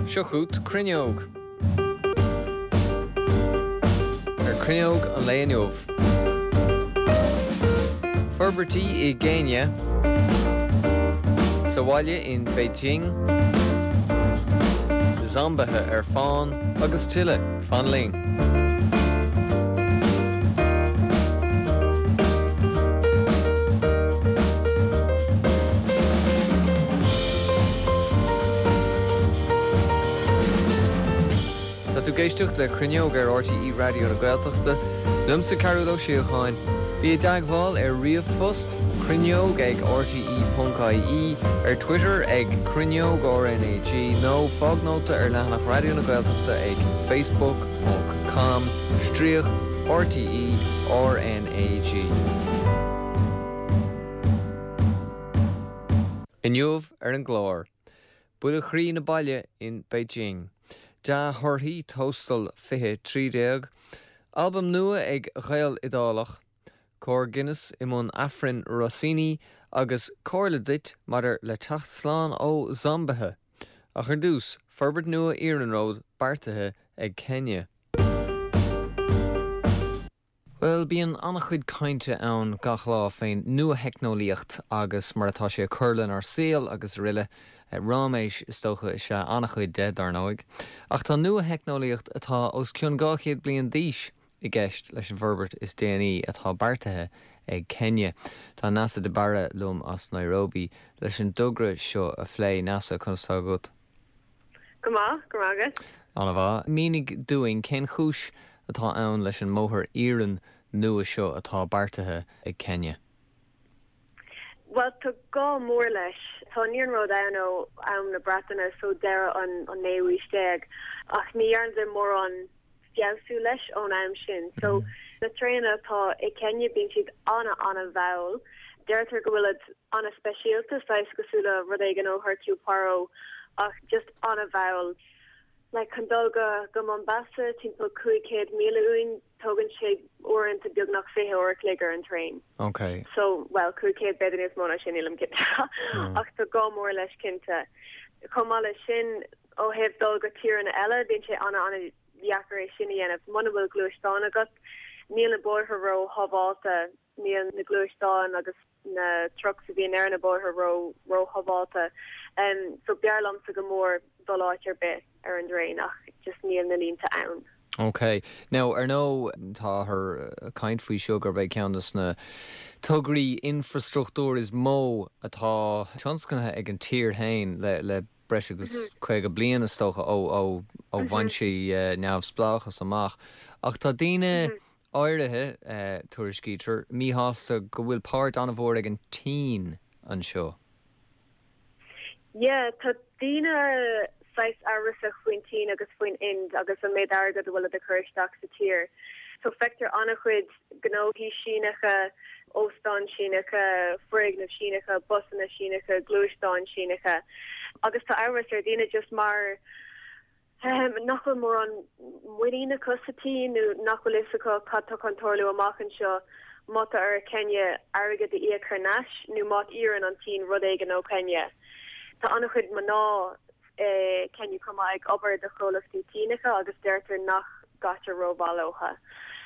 Seo chugat Cruinneog. Ar Cruinneog an lae inniu. Forbairtí i gCéinia. Sa bhaile in Beijing. Zombaithe ar fán agus tuilleadh. Fan linn. Tá tú ag éisteacht le Cruinneog ar RTÉ Raidió na Gaeltachta. Liomsa Cearbhall Ó Síocháin. Bí i dteagmháil ar ríomhphost, cruinneog ag rte.ie, ar Twitter ag cruinneog RnaG nó fág nóta ar leathanach Raidió na Gaeltachta ag facebook ponc com stríoc RTÉ RnaG. Inniu ar an gclár. Buille chroí na baile in Beijing. Dea-thorthaí Tóstal 2013. Albam nua ag Gael Iodálach. Cór Guinness i mbun Aifrinn Rossini agus comhairle duit maidir le teacht slán ó zombaithe. Ach ar dtús, forbairt nua iarnróid beartaithe ag Kenya. Bhuel, bíonn an-chuid cainte ann gach lá fén nua-theicneolaíocht agus mar atá sé ag cur lenár saol agus aroile. Ráiméis, is dócha, is ea an-chuid de, dar ndóigh. Ach tá nua-theicneolaíocht atá os cionn 200 bliain d'aois i gceist leis an bhforbairt is déanaí atá beartaithe ag Kenya. Tá Neasa de Barra liom as Nairobi leis an dtogra seo a phlé. Neasa, conas tá agat? Go maith, go raibh maith agat. An-mhaith. Mínigh dúinn cén chúis atá ann leis an mbóthar iarainn nua seo atá beartaithe ag Kenya. Bhuel, tá gá mór leis. Tá an iarnród ann ó am na Breataine, so deireadh an naoú haois déag, ach ní dhearnadar mórán feabhsú leis ón am sin. So, na traenacha atá i Kenya, bíonn siad ana-ana-mhall. Deirtear go bhfuilid ana-speisialta, saghas cosúil le rud éigin ó Hercule Poirot, ach just ana-mhall. Like, chun dul go go Mombasa, timpeall 500 míle uainn, tógann sé uaireanta beagnach 20 uair a chloig ar an traein. Ok. So, well, 500 b'fhéidir níos mó ná sin, nílim cinnte. Ach tá gá mór leis cinnte. Chomh maith leis sin, Ó thaobh dul go tíreanna eile, bíonn sé ana-ana-dheacair é sin a dhéanamh. Muna bhfuil gluaisteán agat, níl na bóithre ró-shábhálta, níl na gluaisteáin agus na trucks a bhíonn ar na bóithre ró-shábhálta. So b'fhearr liomsa go mór dul áit ar bith ar an dtraein ach just níl na línte ann. Ok. Now, ar ndóigh, táthar ag caint faoi seo gurb é ceann de na tograí infreastruchtúir is mó atá tionscnaithe ag an tír féin le le breis agus 50 bliain, is dócha, ó ó bhain sí neamhspleáchas amach. Ach tá daoine áirithe, tuairiscítear, míshásta go bhfuil páirt an-mhór ag an tSín anseo. Yeah, tá daoine saghas amhrasach faoin tSín agus faoin Ind agus an méid airgead a bhfuilid ag cur isteach sa tír. So feictear an-chuid gnóthaí Síneacha, óstáin Síneacha, foirgnimh Síneacha, busanna Síneacha, gluaisteáin Síneacha agus tá amhras ar dhaoine just mar nach bhfuil mórán muinín acu sa tSín nó nach bhfuil fhios acu cad tá chun tarlú amach anseo má tá ar Kenya airgead a íoc thar n-ais nó má iarrann an tSín rud éigin ó Kenya. Tá an-chuid mná i Kenya chomh maith ag obair do chomhlachtaí Síneacha agus deirtear nach gcaitear rómhaith leotha.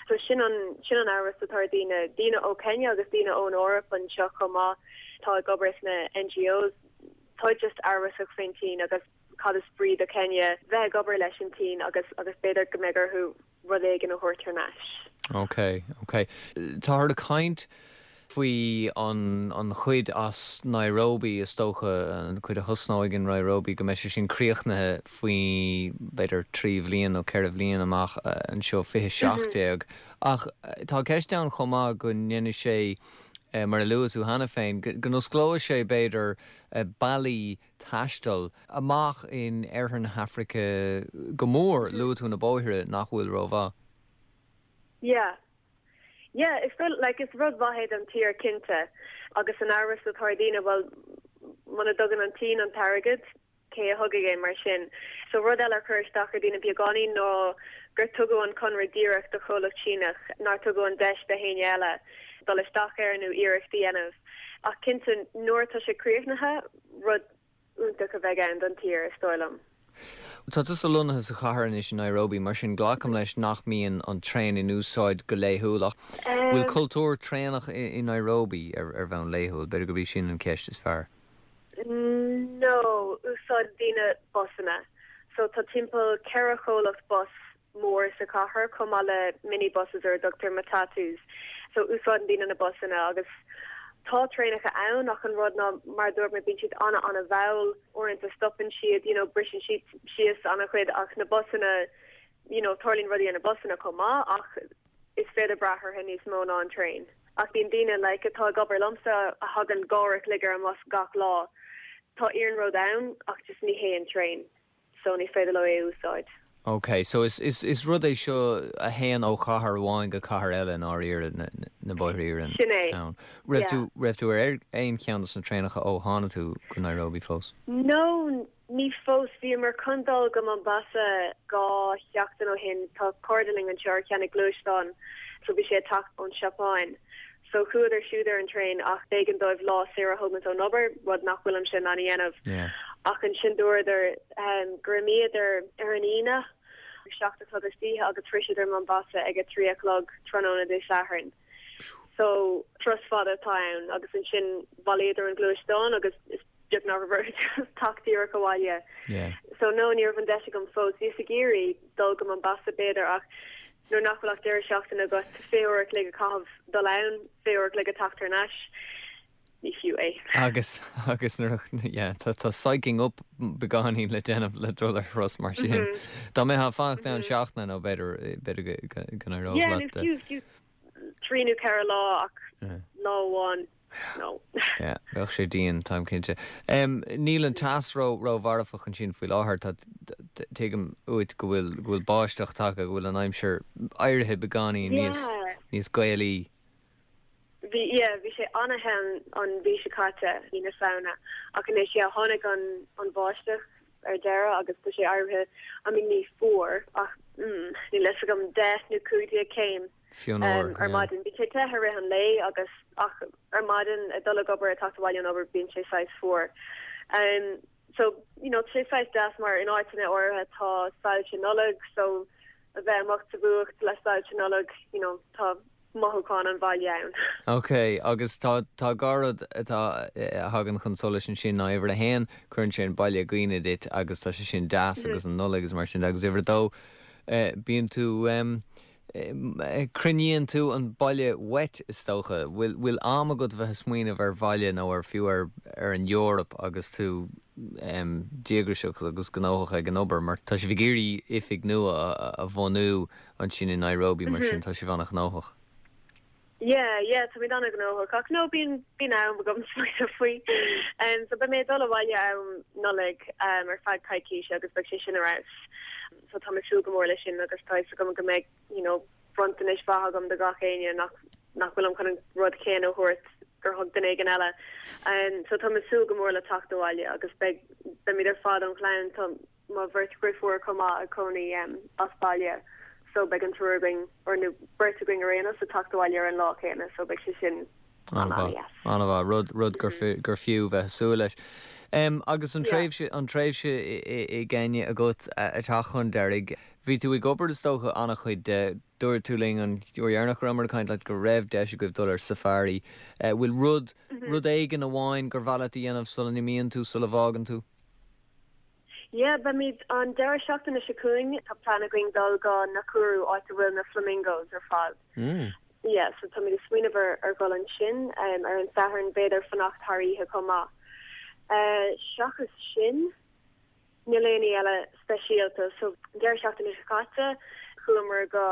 So sin an sin an amhras atá ar daoine, daoine ó Kenya agus daoine ón Eoraip anseo chomh maith atá ag obair sna NGOs, tá just amhrasach faoin tSín agus cad is brí do Kenya bheith ag obair leis an tSín agus agus b'fhéidir go mbeidh orthu rud éigin a thabhairt thar n-ais. Ok, ok. Táthar ag caint faoi an an chuid as Nairobi, is dócha, an chuid a thosnóidh in Nairobi, go mbeidh sé sin críochnaithe faoi b'fhéidir 3 bhliain nó 4 bhliain amach anseo, 2017. Ach tá ceist ann chomh maith go ndéanfaidh sé, mar a luaigh tú cheana féin, go n-osclóidh sé b'fhéidir bealaí taistil amach in oirthear na hAfraice go mór, luaigh tú na bóithre nach bhfuil rómhaith. Yeah. Yeah, is rud, like, is rud mhaith é don tír cinnte agus an amhras atá ar daoine, bhuel, muna dtugann an tSín an t-airgead, cé a thugfaidh é mar sin? So rud eile a chuir isteach ar daoine beagáinín ná gur tugadh an conradh díreach do chomhlacht Síneach, nár tugadh an deis do éinne eile dul isteach air nó iarracht a dhéanamh. Ach cinnte, nuair atá sé críochnaithe, rud iontach a bheidh ann don tír, is dóigh liom. Tá tusa lonnaithe sa chathair anois i Nairobi, mar sin glacaim leis nach mbíonn an traein in úsáid go laethúil ach bhfuil cultúr traenach i Nairobi ar bhonn laethúil? B'fhéidir gurb í sin an cheist is fearr. No, úsáideann daoine busanna. So tá timpeall 4 chomhlacht bus mór sa chathair chomh maith le mini buses ar a dtugtar matatus. So úsáideann daoine na busanna agus tá traenacha ann ach an rud ná mar a dúirt mé bíonn siad ana ana mhall, uaireanta stopann siad, you know briseann siad síos ana chuid ach na busanna you know tarlaíonn rudaí ar na busanna chomh maith ach is féidir brath orthu níos mó ná an traein. Ach bíonn daoine like atá ag obair liomsa a thagann 2 uair a chloig ar an mbus gach lá. Tá iarnród ann ach just ní hé an traein. so ní féidir leo é a úsáid. Ok, so is, is, is rud é seo a théann ó chathair amháin go cathair eile i ndáiríre, na, na bóithre iarainn Sin é, ann. Raibh yeah. tú, raibh tú ar aon cheann de na traenacha ó tháinig tú go Nairobi fós? No, ní fós. Bhíomar chun dul go Mombasa 2 sheachtain ó shin. Tá cairde linn anseo ar cheannaigh gluaisteán so bhí sé ag teacht ón Seapáin. So chuadar siúd ar an traein ach b'éigean dóibh lá saor a thógaint ón obair, rud nach bhfuilimse in ann a dhéanamh. Ach ansin dúradar gur imíodar ar an Aoine ag 7 a chlog istoíche agus shroiseadar Mombasa ag a 3 a chlog tráthnóna Dé Sathairn. So turas fada atá ann agus ansin bhailíodar an gluaisteán agus is beag nach raibh orthu teacht díreach abhaile. So no, ní raibh an deis agam fós. Bhíos ag iarraidh dul go Mombasa b'fhéidir ach nuair nach bhfuil ach deireadh seachtaine agat, 20 uair a chloig a chaitheamh dul ann, 20 uair a chloig a teacht thar n-ais, ní fiú é. Agus, agus nuair a, yeah, tá, tá psyching up beagáinín le déanamh le dul ar thuras mar sin. Dá mbeifeá ag fanacht ann seachtain nó b'fhéidir, b'fhéidir go, go, go n-éireodh Yeah, nó leat. fiú, fiú trí nó ceithre lá ach lá amháin, no. Yeah, bheadh sé dian, táim cinnte. Níl an teas ró, ró-mharfach ansin faoi láthair, tá, tuigim uait go bhfuil, go bhfuil báisteach tagtha, go bhfuil an aimsir éirithe beagáinín níos, níos Gaelaí. Bhí, yeah, bhí sé an-the an mhí seo caite, mí na Samhna, ach anois, yeah, tháinig an, an bháisteach ar deireadh agus tá sé éirithe, I mean, ní fuar ach, mm, níl a fhios agam, 10 nó 15 céim. Fionnuar, ar maidin. Bíonn sé te i rith an lae agus ach ar maidin ag dul ag obair, ag teacht abhaile ón obair bíonn sé saghas fuar. So, you know, tá sé saghas deas mar in áiteanna áirithe tá soilse Nollag so a bheith amuigh sa bhfuacht le soilse Nollag, you know, tá mothúchán an bhaile ann. Ok, agus tá tá dhá rud atá a thagann chun solais ansin ná uimhir a haon, cuireann sé an baile i gcuimhne duit agus tá sé sin deas agus an Nollaig agus mar sin de agus uimhir a dó, bíonn tú Coinníonn tú an baile uait, is dócha. Bhfuil am agat bheith ag smaoineamh ar bhaile nó ar fiú ar ar an Eoraip agus tú díograiseach agus gnóthach ag an obair? Mar tá sibh ag iarraidh oifig nua a bhunú ansin i Nairobi, mar sin tá sibh an-ghnóthach. Yeah, yeah, táimid an-ghnóthach ach no, bíonn, bíonn am agam smaoineamh faoi. Um, so beidh mé ag dul abhaile am Nollaig um, ar feadh coicíse agus beidh sé sin ar fheabhas. So táim ag súil go mór leis sin agus tá fhios agam go mbeidh, you know, bronntanais mhaith agam do gach éinne nach, nach bhfuilim chun an rud céanna a thabhairt gur thug duine éigin eile. Um, so táim ag súil go mór le teacht abhaile agus beidh, beimid ar fad an chlann, tá, mo bheirt dheirfiúr chomh maith ag cónaí as baile so beidh an triúr againn, or nó beirt againn ar aon nós, ag teacht abhaile ar an lá céanna so beidh sé sin an-mhaith. An-mhaith, rud, rud gur gur fiú bheith ag súil leis. Agus an tréimhse, an tréimhse i gCéinia agat ag teacht chun deiridh, bhí tú ag obair is dócha an-chuid de, dúirt tú linn an uair dheireanach go rabhamar ag caint leat go raibh deis agaibh dul ar safari. Bhfuil rud, rud éigin amháin gur mhaith leat a dhéanamh sula n-imíonn tú, sula bhfágann tú? Yeah, beimid an deireadh seachtaine seo chugainn, tá plean againn dul go Nakuru, áit a bhfuil na flamingos ar fad. Yeah, so táimid ag smaoineamh ar ar dhul ansin ar an Satharn, b'fhéidir fanacht thar oíche chomh maith. Seachas sin, níl aon ní eile speisialta. So, an deireadh seachtaine seo caite, chuamar go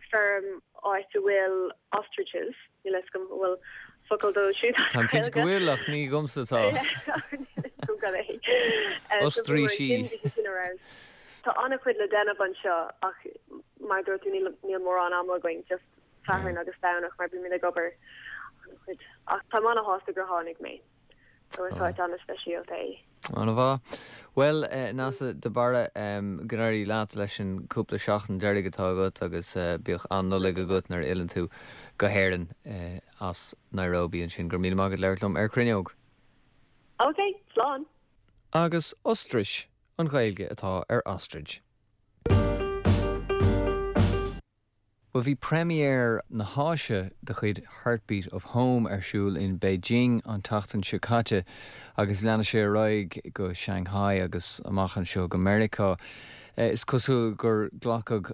feirm áit a bhfuil ostriches, níl a fhios agam an bhfuil focal dóibh siúd as Táim cinnte go bhfuil, ach ní agamsa atá. Ostraoisí. Tá an-chuid le déanamh anseo ach mar a dúirt tú níl mórán ama againn, just Satharn agus Domhnach mar bímid ag obair an-chuid. Ach táim an-shásta gur tháinig mé. So is áit an-speisialta é. An-mhaith. Bhuel, Neasa de Barra, go n-éirí leat leis an cúpla seachtain deiridh atá agat agus bíodh an-Nollaig agat nuair a fhilleann tú go hÉirinn as Nairobi ansin. Go raibh míle maith agat labhairt liom ar Cruinneog. Ok, slán! Agus ostrais! An Ghaeilge atá ar Ostrich. Bhuel, bhí première na hÁise de chuid Heartbeat of Home ar siúl in Beijing an tseachtain seo caite agus leanfaidh sé ar aghaidh go Shanghai agus amach anseo go Meiriceá. Is cosúil gur glacadh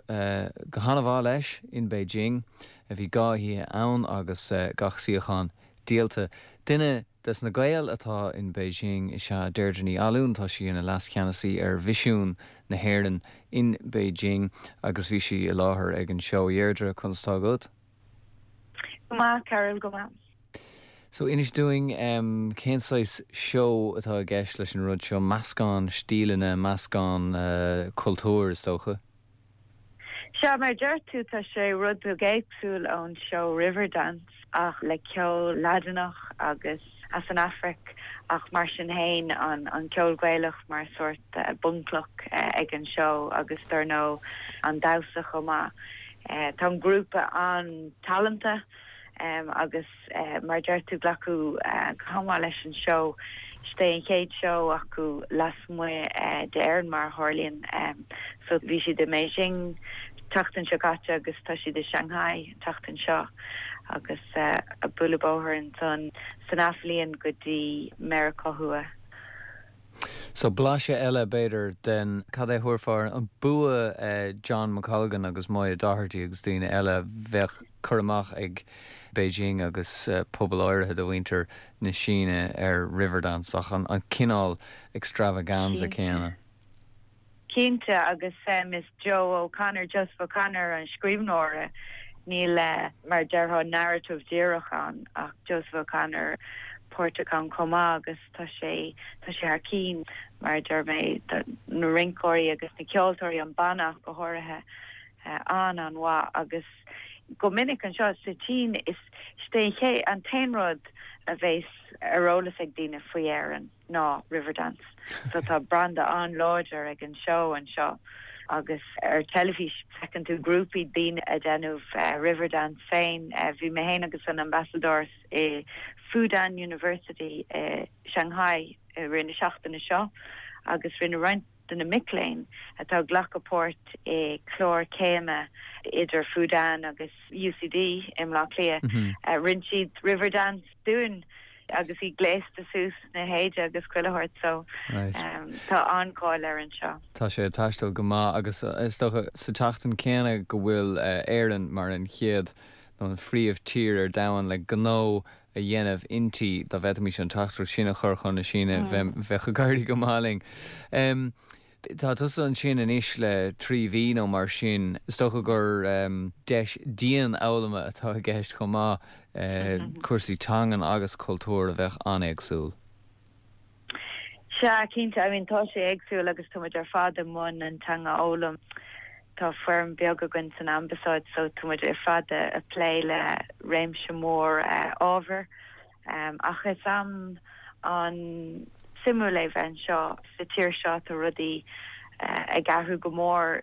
go han-mhaith leis in Beijing. Bhí 2 oíche ann agus gach suíochán díolta. Duine Des na Gaeil atá in Beijing is ea Deirdre Ní Fhallúin. Tá sí ina Leas-Cheannasaí ar Mhisiún na hÉireann in Beijing agus bhí sí i láthair ag an seó. A Dheirdre, conas tá agat? Go maith, Carol, go maith. So, inis dúinn, cén saghas seó atá i gceist leis an rud seo? Meascán stíleanna, meascán cultúir, is dócha? Sea, mar a deir tú, tá sé rud beag éagsúil ón seó Riverdance ach le ceol Laidineach agus as an Afraic ach mar sin fhéin an ceol Gaelach mar sórt bunchloch ag an seó agus dar ndóigh an damhsa chomh maith. Tá an grúpa an-talanta agus mar a deir tú, glacadh go han-mhaith leis an seó. Is é an chéad seó acu lasmuigh d'Éirinn, mar a tharlaíonn. So bhí siad i mBeijing tseachtain seo caite agus tá siad i Shanghai an tseachtain seo agus ag bualadh bóthair ansan san athbhliain go dtí Meiriceá Thuaidh. So blaiseadh eile, b'fhéidir, den, cad é a thabharfá air, an bua John McColgan agus Moya Doherty agus daoine eile, bheadh cur amach ag Beijing agus pobal áirithe de mhuintir na Síne ar Riverdance ach an cineál extravaganza céanna. Cinnte, agus is Joe O'Connor, Joseph O'Connor an scríbhneoir, níl, mar a déarfá, narrative díreach ann ach Joseph O'Connor páirteach ann chomh maith agus tá sé, tá sé thar cinn, mar a deir mé, na rinceoirí agus na ceoltóirí, an banna ach go háirithe, an-an-mhaith agus go minic anseo sa tSín is é an t-aon rud a bheas ar eolas ag daoine faoi Éirinn. ná Riverdance. So tá branda an-láidir ag an seó anseo agus ar teilifís feiceann tú grúpaí daoine ag déanamh Riverdance féin. Bhí mé féin agus an Ambasadóir i Fudan University i Shanghai i rith na seachtaine seo agus rinne roinnt de na mic léinn atá ag glacadh páirt i clár céime idir Fudan agus UCD i mBleá Cliath, rinne siad Riverdance dúinn agus iad gléasta suas sna héide agus chuile shórt so tá an-cháil air anseo. Tá sé ag taisteal go maith agus is dócha sa tseachtain céanna go bhfuil Éirinn mar an chéad nó an phríomh tír ar domhan le gnó a dhéanamh inti, dá bhféadfaimis an teachtaireacht sin a chur chun na Síne bheadh ag éirí go maith linn. Tá tusa ansin anois le 3 mhí nó mar sin. Is dócha gur deis dianfhoghlama atá i gceist chomh maith, cúrsaí teangan agus cultúir a bheadh an-éagsúil. Sea, cinnte. I mean, tá sé éagsúil agus tá muid ar fad i mbun an teanga a fhoghlaim. Tá foireann beag againn san Ambasáid so tá muid ar fad ag plé le réimse mór ábhar. Ach is am an-suimiúil é bheith anseo sa tír seo, tá rudaí ag athrú go mór.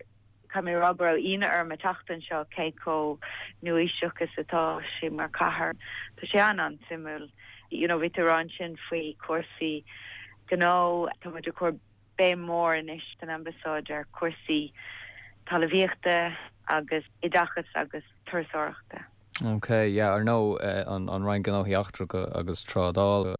Caithfidh mé a rá go raibh ionadh orm ag teacht anseo cé chomh nua-aoiseach is atá sé mar chathair. Tá sé an-an-suimiúil. You know, bhí tú ag rá ansin faoi chúrsaí gnó, tá muid ag cur béim mhór anois san Ambasáid ar chúrsaí talmhaíochta agus oideachais agus turasóireachta. Ok, yeah, ar ndóigh an Roinn Gnóthaí Eachtracha agus Trádála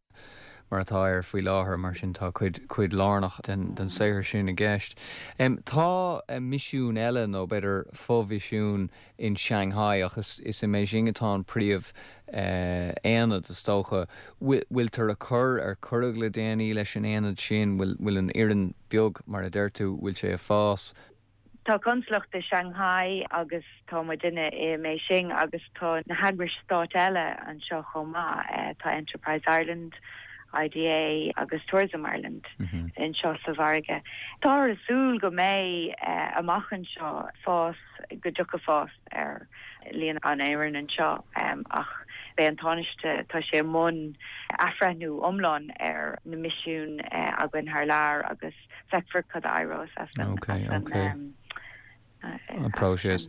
mar atá air faoi láthair, mar sin tá cuid, cuid lárnach den, den saothar sin i gceist. Tá misiún eile nó b'fhéidir fo-mhisiún in Shanghai ach is, is i mBeijing atá an príomh aonad is dócha. Bhfuil, bhfuiltear ag cur, ar cuireadh le déanaí leis an aonad sin, bhfuil, bhfuil an fhoireann beag mar a deir tú, bhfuil sé ag fás? Tá consalacht i Shanghai agus tá muidinne i mBeijing agus tá na heagrais stáit eile anseo chomh maith. Tá Enterprise Ireland, IDA agus Tourism Ireland anseo sa mhargadh. Táthar ag súil go mbeidh amach anseo fás, go dtiocfaidh fás ar líon an fhoireann anseo ach beidh an Tánaiste, tá sé i mbun athbhreithniú iomlán ar na misiúin againn thar lear agus feicfear cad a éireos as an. An próiseas.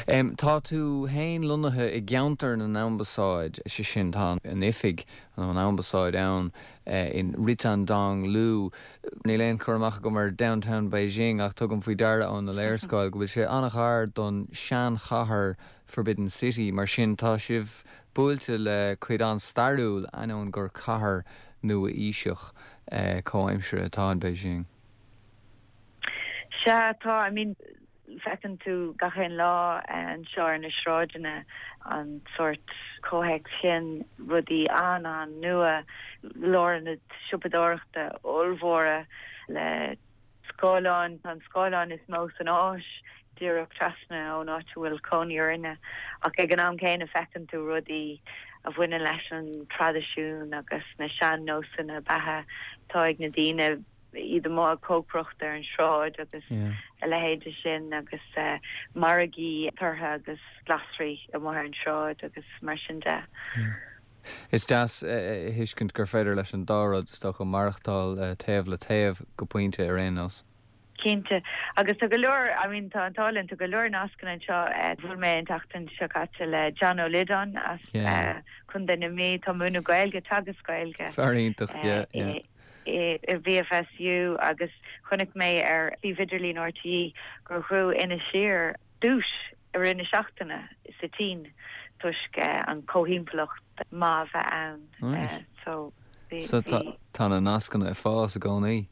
Tá tú féin lonnaithe i gceantar na n-ambasáid, sé sin, tá an oifig nó an ambasáid ann in Ritan Dong Lu. Níl aon chur amach agam ar Downtown Beijing ach tugaim faoi deara óna léarscáil go bhfuil sé an-ghar don seanchathair Forbidden City. Mar sin, tá sibh buailte le cuid an-stairiúil, ainneoin gur cathair nua-aoiseach comhaimseartha atá in Beijing. Sea, tá, I mean, feiceann tú gach aon lá anseo ar na sráideanna an sórt comhthéacs sin, rudaí an-an-nua, lárionaid siopadóireachta ollmhóra le scáileáin, tá an scáileán is mó san Áis díreach trasna ón áit a bhfuil cónaí orainne, ach ag an am céanna feiceann tú rudaí a bhaineann leis an traidisiún agus na sean-nósanna beatha atá ag na daoine, iad amuigh ag cócaireacht ar an sráid agus a leithéide sin agus margaí torthaí agus glasraí amuigh ar an sráid agus mar sin de. Is deas a thuiscint gur féidir leis an dá rud, is dócha, maireachtáil taobh le taobh, go pointe ar aon nós. Cinnte. Agus tá go leor, I mean tá an t-ádh linn, tá go leor nascanna anseo. Bhuail mé an tseachtain seo caite le John Ó Loideáin as Contae na Mí, atá ag múineadh Gaeilge, teagasc Gaeilge. Fear iontach, yeah, yeah. i BFSU agus chonaic mé ar suíomh idirlín RTÉ gur ghnóthaigh Inis Oírr duais i rith na seachtaine sa tSín toisc an comhthimpeallacht maith a bheith ann. So bhí. So tá na nascanna ag fás i gcónaí?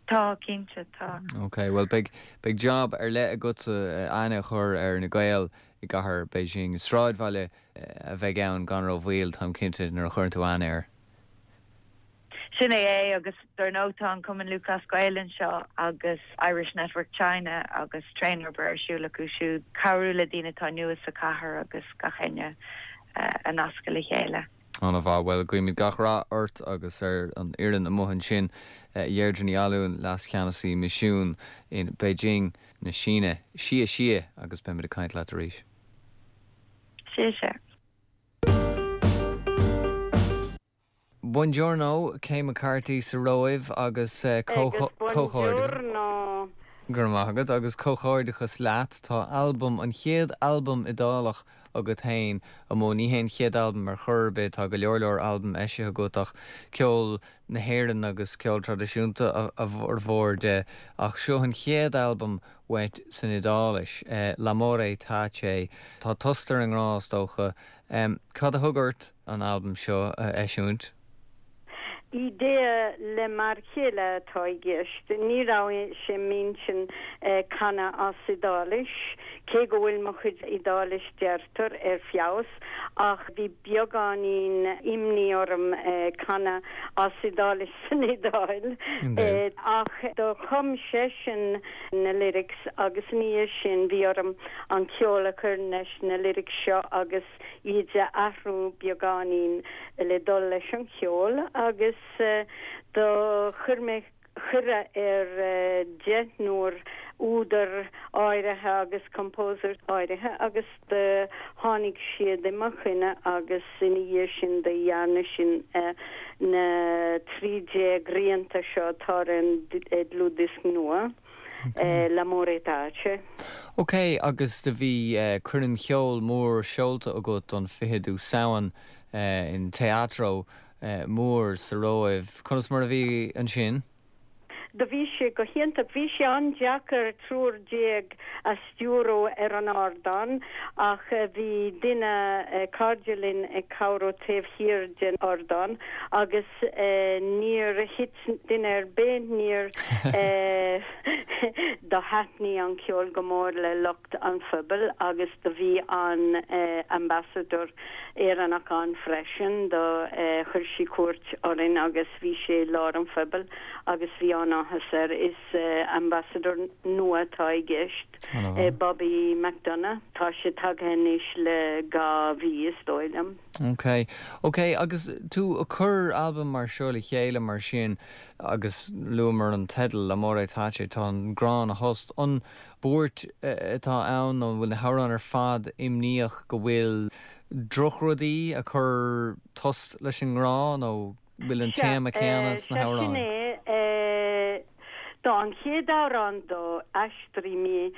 Tá, cinnte, tá. Ok, bhuel beidh, beidh job ar leith agatsa aithne a chur ar na Gaeil i gcathair Beijing. Is sráidbhaile a bheidh ann gan rómhoill, táim cinnte, nuair a chuireann tú aithne air. Sin é é agus dar ndóigh tá an Cumann Lúthchleas Gael anseo agus Irish Network China agus tréan-obair ar siúl acu siúd, cabhrú le daoine atá nua sa chathair agus gach éinne a nascadh le chéile. Ana mhaith. Bhuel, guímid gach rath ort agus ar an fhoireann amuigh ansin. Deirdre Ní Fhallúin, Leas-Cheannasaí Misiúin in Beijing na Síne. Xie xie agus beimid ag caint leat arís. Xie xie. Buongiorno, Kay McCarthy sa Róimh agus comhghairdeachas. Go raibh maith agat agus comhghairdeachas leat. Tá albam, an chéad albam Iodálach agat féin amuigh. Ní hé an chéad albam ar chor ar bith, tá go leor leor albam eisithe agat ach ceol na hÉireann agus ceol traidisiúnta a bhformhór de ach seo an chéad albam uait san Iodáilis, L'amore tace. Tá tost ar an ngrá is dócha. Cad a thug ort an albam seo a eisiúint? Idea le m'fhear chéile atá i gceist. Ní raibh sé m'intinn canadh as Iodáilis, cé go bhfuil mo chuid Iodáilis deirtear ar feabhas, ach bhí beagáinín imní orm canadh as Iodáilis san Iodáil. Ach do chum seisean na lyrics agus ina dhiaidh sin bhí orm an ceol a chur leis na lyrics seo agus iad a athrú beagáinín le dul leis an cheol agus do chuir mé cuireadh ar deichniúr údar áirithe agus composers áirithe agus do tháinig siad i mo choinne agus ina dhiaidh sin do dhearna sinn na 13 rianta seo atá ar an dlúthdhiosc nua. L'amore tace. Ok, agus do bhí coirm cheoil mór seolta agat don 20ú Samhain in Teatro mór sa Róimh. Conas mar a bhí ansin? Do bhí sé go hiontach. Bhí sé an-deacair triúr déag a stiúradh ar an ardán ach bhí duine, cairde linn ag cabhrú taobh thiar den ardán agus níor thit duine ar bith, níor do thaitnigh an ceol go mór le lucht an phobail agus do bhí an ambassador Éireannach ann freisin, do chuir sí cuairt orainn agus bhí sé i lár an phobail agus bhí an-áthas air. Is ambassador nua atá i gceist. Bobby McDonagh. Tá sé tagtha anois le 2 mhí, is dóigh liom. Ok. Ok, agus tú ag cur albam mar seo le chéile mar sin, agus luamar an teideal, L'amore tace, tá an grá ina thost. An buairt atá ann nó an bhfuil na hamhráin ar fad imníoch go bhfuil drochrudaí ag cur tost leis an ngrá nó bhfuil an téama céanna sna hamhráin? Sea, sin é. Tá. An chéad amhrán do aistrigh mé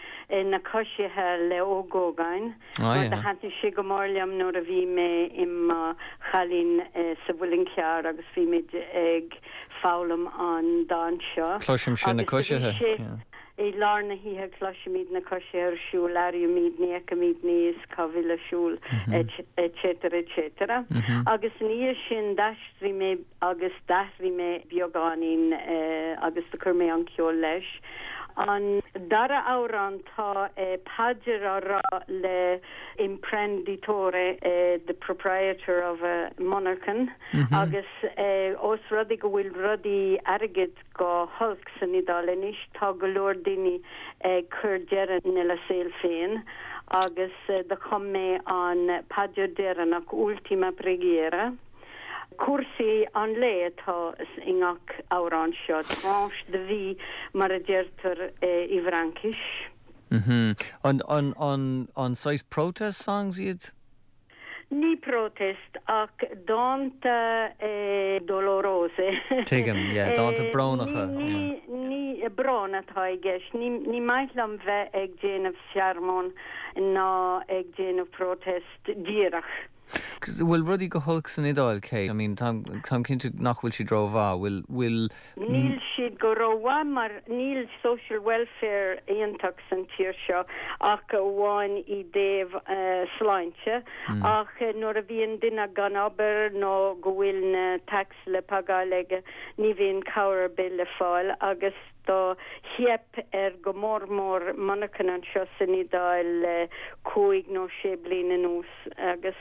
Na Coisithe le Ó Gógáin mar do thaitnigh sé go mór liom nuair a bhí mé i mo chailín sa Mhuileann Cearr agus bhí muid ag foghlaim an dán seo. Cloisimse na coisithe. I lár na hoíche cloisimid na coisithe ar siúl, airímid, ní fheicimid ní is cá bhfuil a siúl, etc. Etc. Agus ina dhiaidh sin d'aistrigh mé agus d'athraigh mé beagáinín agus do chuir mé an ceol leis. An dara amhrán tá paidir á rá le imprenditore, the proprietor of a monarchan, agus ós rud é go bhfuil rudaí airgead go holc san Iodáil anois, tá go leor daoine ag cur deireadh lena saol féin agus do chum mé an paidir deireanach, Ultima preghiera. Cúrsaí an lae atá i ngach amhrán seo, tranche de vie mar a deirtear i bhFraincis. An saghas protest songs iad? Ní protest ach dánta dolorose. Tuigim, yeah, dánta brónacha, yeah. Ní brón atá i gceist. Ní maith liom bheith ag déanamh searmóin ná ag déanamh protest díreach. Bhfuil rudaí go holc san Iodáil, Kate? I mean, táim cinnte nach bhfuil siad rómhaith. Bhfuil, bhfuil. Níl siad go rómhaith mar níl social welfare iontach san tír seo ach amháin i dtaobh sláinte ach nuair a bhíonn duine gan obair nó go bhfuil na tax le pagáil aige ní bhíonn cabhair ar bith le fáil agus do theip ar go mór mór monarchan anseo san Iodáil le cúig nó sé bliain anuas agus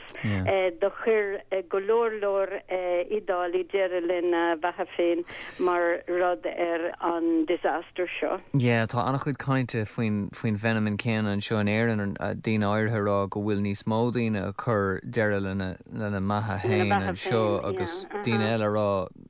do chuir go leor leor Iodálaigh deireadh lena bheatha féin mar rud ar an disaster seo. Yeah, tá an-chuid cainte faoin faoin bhfeiniméan céanna anseo in Éirinn, daoine áirithe ag rá go bhfuil níos mó daoine ag cur deireadh lena lena mbeatha féin anseo agus daoine eile ag rá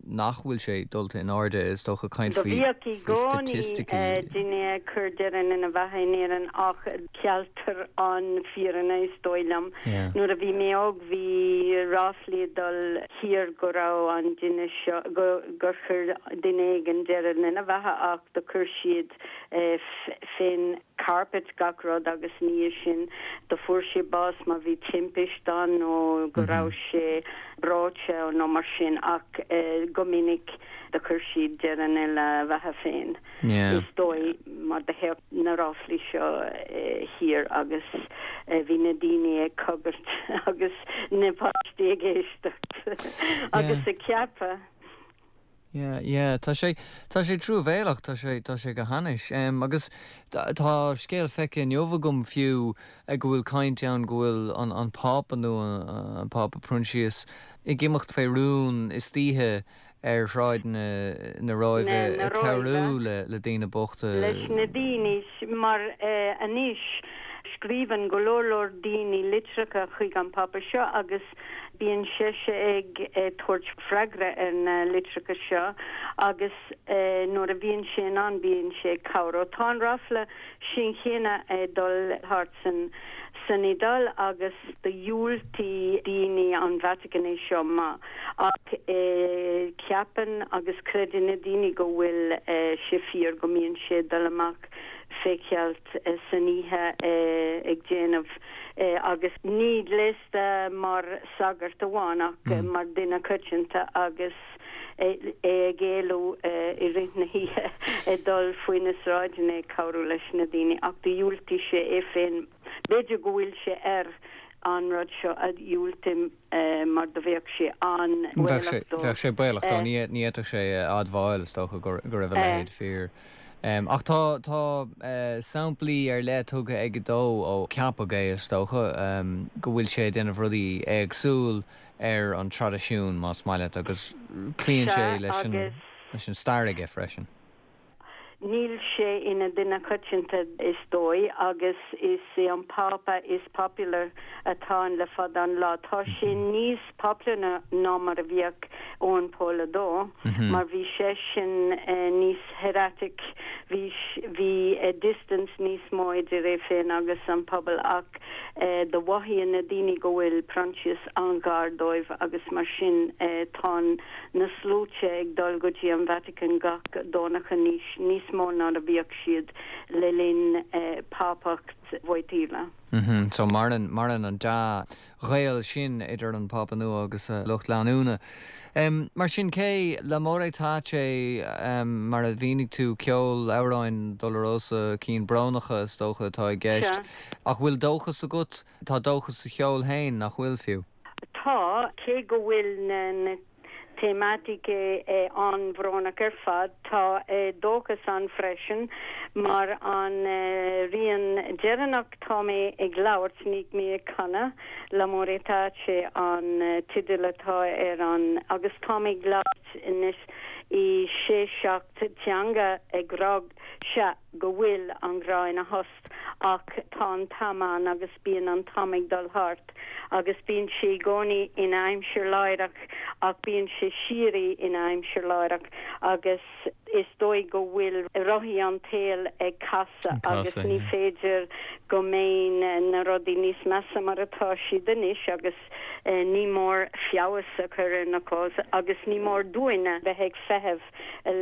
nach bhfuil sé dulta in airde, is dócha, caint Do faoi bhíodh i faoi gcónaí staitisticí. daoine ag cur deireadh lena bheatha in Éirinn ach ceiltear an fírinne is dóigh liom. Yeah. Nuair a bhí mé óg bhí ráflaí ag dul thiar go raibh an duine seo, go, gur chuir duine éigin deireadh lena bheatha ach do chuir siad fén carpet gach rud agus ina dhiaidh sin do fuair sé bás mar bhí timpist ann nó go raibh sé breoite nó mar sin ach go minic do chuir siad deireadh lena bheatha féin is dóigh mar do théadh na ráflaí seo thiar agus bhí na daoine ag cogar agus na páistí ag éisteacht agus ag ceapadh. Yeah, yeah, tá sé, tá sé truamhéalach, tá sé, tá sé go hainnis. Em, agus tá scéal feicthe inniu agam fiú go bhfuil caint ann go bhfuil an, an Pápa nua, an Pápa Proinsias, ag imeacht fé rún istoíche ar shráideanna na Róimhe Na, na ag cabhrú Róimhe. le, le daoine bochta. Leis na daoine, mar eh, anois scríobhann go leor leor daoine litreacha chuig an Pápa seo agus Bíonn seisean ag tabhairt freagra ar na litreacha seo agus nuair a bhíonn sé in ann bíonn sé ag cabhrú. Tá an ráfla sin chéanna ag dul thart san san Iodáil agus do dhiúltaigh daoine an Vatican é seo maith ach ceapann agus creideann na daoine go bhfuil sé fíor go mbíonn sé ag dul amach fé cheilt san oíche ag déanamh agus ní gléasta mar sagart amháin ach mar duine coitianta agus é ag éalú i rith na hoíche ag dul faoi na sráideanna ag cabhrú leis na daoine ach do dhiúltaigh sé é féin b'fhéidir go bhfuil sé ar an rud seo a dhiúltú mar do bheadh sé an-bhaolach dó. Bheadh sé baolach dó, ní fhéadfadh sé a admháil is dócha go raibh a leithéid fíor. Ach tá tá samplaí ar leith tugtha aige dó ó ceapadh é is dócha go bhfuil sé ag déanamh rudaí éagsúil ar an traidisiún más maith leat agus cloíonn sé leis an leis an stair aige freisin. Níl sé ina duine coitianta is dóigh agus is é an Pápa is popular atá ann le fada an lá. Tá sé níos popular ná mar a bhíodh Eoin Pól a Dó mar bhí seisean níos hieratic, bhí bhí distance níos mó idir é féin agus an pobal ach do mhothaíonn na daoine go bhfuil Proinsias an-ghar dóibh agus mar sin tá na sluaite ag dul go dtí an Vatican gach Domhnach anois. Níos. níos mó ná a bhíodh siad le linn Pápacht Wojtyla. So maireann, maireann an dea-ghaol sin idir an Pápa nua agus a lucht leanúna. Mar sin, Kay, L'amore tace, mar a mhínigh tú, ceol, amhráin dolorosa, cinn brónacha is dócha atá i gceist. Ach bhfuil dóchas agat? Tá dóchas sa cheol féin, nach bhfuil, fiú? Tá, cé go bhfuil na tematiche an-bhrónach ar fad, tá dóchas ann freisin, mar an rian deireanach tá mé ag labhairt, níl mé ag canadh, L'amore tace an teideal atá ar an, agus tá mé ag labhairt anois i sé seacht teanga ag rá, sea, go bhfuil an grá ina thost ach tá an t-am ann agus bíonn an t-am ag dul thart agus bíonn sé i gcónaí ina aimsir láithreach ach bíonn sé síoraí ina aimsir láithreach agus is dóigh go bhfuil rothaí an tsaoil ag casadh agus ní féidir go mbeidh na rudaí níos measa mar atá siad anois agus ní mór feabhas a chur ar na cás agus ní mór dúinn a bheith ag feitheamh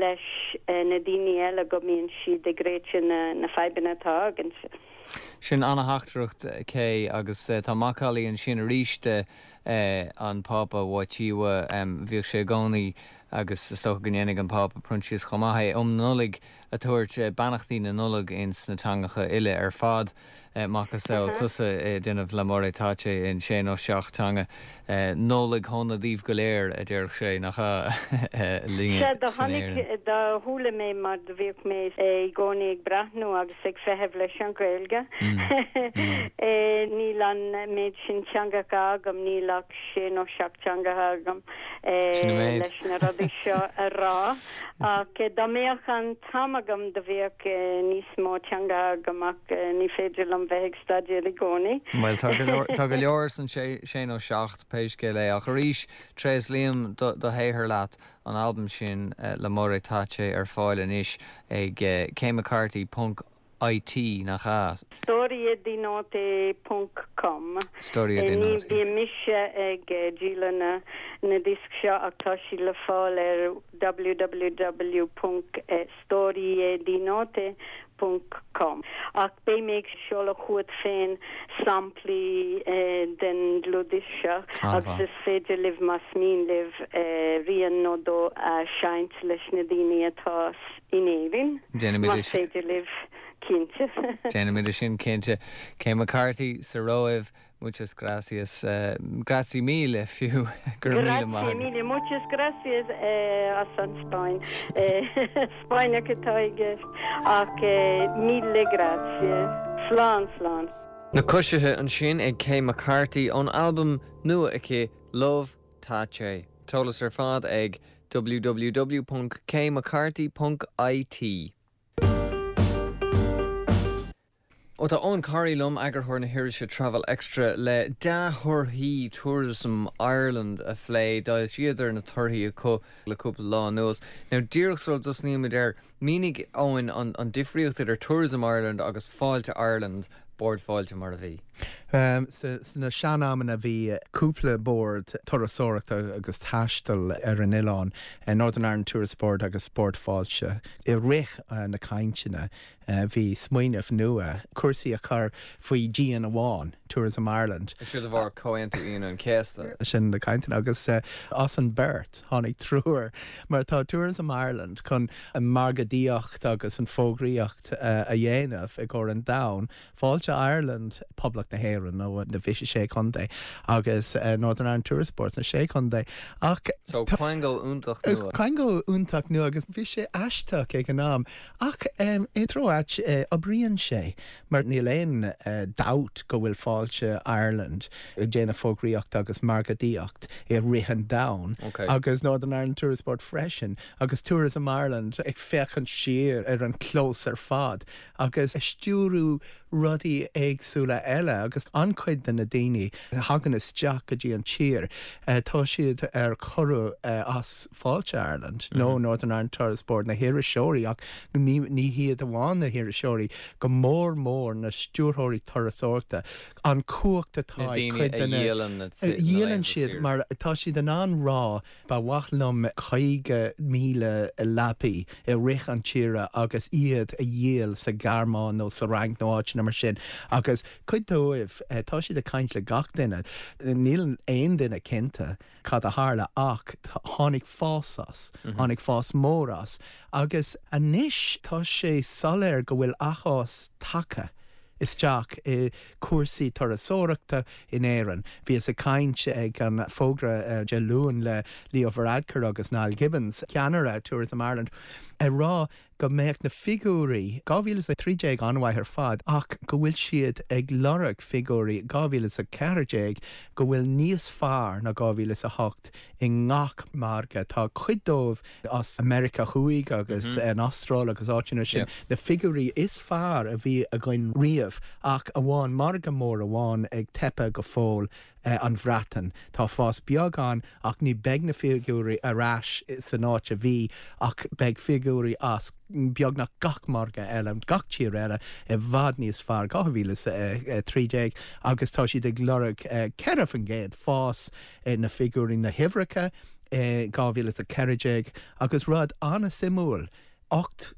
leis na daoine eile go mbíonn siad ag réiteach na fadhbanna atá againn. Sin ana-theachtaireacht, Kay, agus tá macallaí ansin arís de an Pápa Wojtyła. Bhíodh sé i gcónaí, agus is dócha go ndéanfaidh an Pápa Proinsias chomh maith é, um Nollaig ag tabhairt beannachtaí na Nollag ins na teangacha uile ar fad. Macasamhail tusa ag déanamh L'amore tace in sé nó seacht teanga. Nollaig shona daoibh go léir, a déarfadh sé, nach ea, linne Sea, do san chonaic, Éirinn. do chuala mé mar do bhíodh mé i gcónaí ag breathnú agus ag feitheamh leis an Ghaeilge. Níl an méid sin teangacha agam, níl ach sé nó seacht teangacha agam Sin an méid. leis na rudaí seo a rá. Ach dá mbeadh an t-am agam do bheadh níos mó teangacha agam ach ní féidir liom bheith ag staidéar i gcónaí. Bhuel, tá go leor, tá go leor san sé, sé nó seacht, pé scéal é. Ach arís, tréaslaím do, do shaothar leat, an albam sin, L'amore tace, ar fáil anois ag kaymccarthy ponc IT, nach ea? Storiedinote ponc com. Storie di Ní Note. bíonn mise ag díol na na diosc seo ach tá siad le fáil ar www ponc storiedinote ponc com. Ach beidh mé ag seoladh chugat féin samplaí den dlúthdhiosca seo agus An-mhaith. is féidir libh más mian libh rian nó dó a sheinnt leis na daoine atá in Éirinn, Déanfaimid más féidir libh, cinnte. Déanfaimid é sin, cinnte. Kay McCarthy sa Róimh, muchas gracias. Grazie mille, fiú. Go raibh míle maith Grazie agat. mille, muchas gracias as an Spáinn. Spáinneach atá i gceist, ach mille grazie. Slán, slán. Na Coisithe ansin ag Kay McCarthy ón albam nua aici, Love Tace. T-eolas ar fad ag www.kaymccarthy.it. Ó tá Eoghan Corry liom, eagarthóir na hirise Travel Extra, le dea-thorthaí Tourism Ireland a phlé. D'fhoilsíodar na torthaí acu le cúpla lá anuas. Now, díreach sula dtosnaímid air, Mínigh, Eoin, an difríocht idir Tourism Ireland agus Fáilte Ireland, Bord Fáilte mar a bhí. Sna sean-amanna bhí cúpla bord turasóireachta agus taistil ar an oileán, Northern Ireland Tourist Board agus Bord Fáilte. I rith na cainteanna bhí smaoineamh nua, cúrsaí a chur faoi dhíon amháin, Tourism Ireland. Seo de bharr Comhaontú Aoine an Chéasta. Sin na cainteanna agus as an beirt tháinig triúr mar tá Tourism Ireland chun an margadaíocht agus an fógraíocht a dhéanamh i gcomhair an domhain, Fáilte Ireland, Poblacht na hÉireann nó na 26 contae agus Northern Ireland Tourist Board sna sé chontae ach So quango iontach nua. Quango iontach nua agus bhí sé aisteach ag an am ach i dtreo áit oibríonn sé. Mar níl aon dabht go bhfuil Fáilte Ireland ag déanamh fógraíocht agus margadaíocht i rith an domhain agus Northern Ireland Tourist Board freisin agus Tourism Ireland ag féachaint siar ar an clós ar fad agus ag stiúrú rudaí. rudaí éagsúla eile agus an-chuid de na daoine a thagann isteach go dtí an tír, tá siad ar cuireadh as Fáilte Ireland nó Northern Ireland Tourist Board, na hiriseoirí ach ní hiad amháin na hiriseoirí, go mór mór na stiúrthóirí turasóireachta, an chumhacht atá ag cuid de na. Na daoine a dhíolann na Dhíolann siad mar tá siad in ann rá Ba mhaith liom 50,000 leapaí i rith an tsaoire agus iad a dhíol sa Ghearmáin nó sa Fhrainc nó áiteanna mar sin agus cuid dóibh, tá siad ag caint le gach duine, níl aon duine cinnte cad a tharla ach tháinig fás as, tháinig fás mór as agus anois tá sé soiléir go bhfuil athfhás tagtha. isteach i cúrsaí turasóireachta in Éirinn. Bhíos ag caint ag an bhfógra Dé Luain le Leo Varadkar agus Niall Gibbons, ceannaire Tourism Ireland, ag rá go mbeadh na figiúirí 2013 an-mhaith ar fad ach go bhfuil siad ag lorg figiúirí 2014 go bhfuil níos fearr ná 2008 i ngach margadh. Tá cuid dóibh as Meiriceá Thuaidh agus an Astráil agus áiteanna sin, na figiúirí is fearr a bhí againn riamh, ach amháin margadh mór amháin ag teipeadh go fóill, an Bhreatain. Tá fás beag ann ach ní beidh na figiúirí ar ais san áit a bhí ach beidh figiúirí as beagnach gach margadh eile, gach tír eile, i bhfad níos fearr, 2013 agus tá siad ag lorg 4% fás na figiúirí, na huimhreacha. i 2014 agus rud an-suimiúil, 8%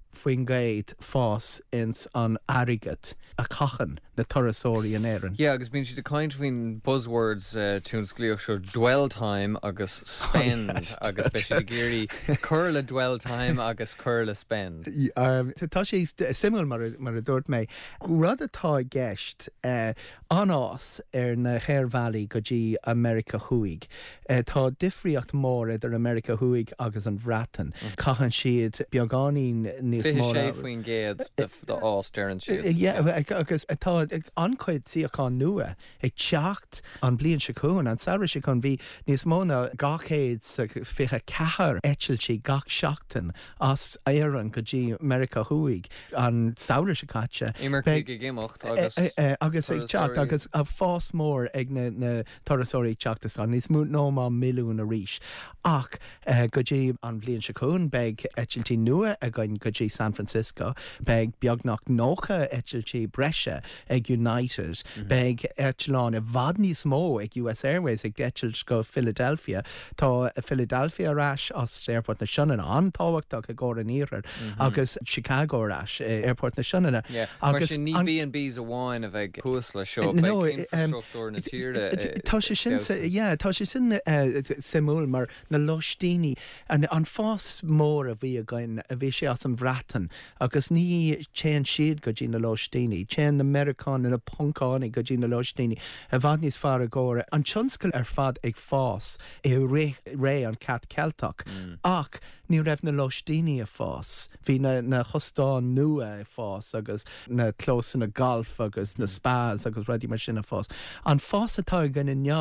fás ins an airgead a chaitheann na turasóirí in Éirinn. Yeah, agus bíonn siad ag caint faoin buzzwords tionsclaíoch seo, dwell time agus spend agus beidh siad ag iarraidh cur le dwell time agus cur le spend. Tá sé suimiúil mar a dúirt mé. Rud atá i gceist, an-fhás ar na haerbhealaí go dtí Meiriceá Thuaidh. Tá difríocht mór idir Meiriceá Thuaidh agus an Bhreatain. Caitheann siad beagáinín níos mó. 26% d'fhás, deireann siad. Yeah, agus tá an-chuid suíochán nua ag teacht an bliain seo chugainn. An samhradh seo chugainn bhí níos mó ná 224 eitiltí gach seachtain as Éirinn go dtí Meiriceá Thuaidh an samhradh seo caite. Imircigh ag imeacht agus agus ag teacht agus fás mór ag na turasóirí ag teacht isteach, níos mó ná milliún arís. Ach go dtí an bhliain seo chugainn beidh eitiltí nua againn go dtí San Francisco, beidh beagnach 90 eitiltí breise ag United, beidh eitleáin i bhfad níos mó ag US Airways ag eitilt go Philadelphia. Tá Philadelphia ar ais as Aerfort na Sionainne, an-tábhachtach i gcomhair an Iarthair, agus Chicago ar ais i Aerfort na Sionainne. Mar sin ní B&Bs amháin a bheidh thuas leis seo, beidh infreastruchtúr na tíre ag Tá sé sin, yeah, tá sé sin suimiúil mar na lóistíní, an fás mór a bhí againn, bhí sé as an Bhreatain agus ní téann siad go dtí na lóistíní, téann na Meiriceánaigh, na Poncánaigh go dtí na lóistíní i bhfad níos fearr i gcomhair an tionscal ar fad ag fás i rith ré an Cat Ceilteach ach ní raibh na lóistíní ag fás. Bhí na na hóstáin nua ag fás agus na clósanna gailf agus na spas agus rudaí mar sin ag fás. An fás atá againn inniu,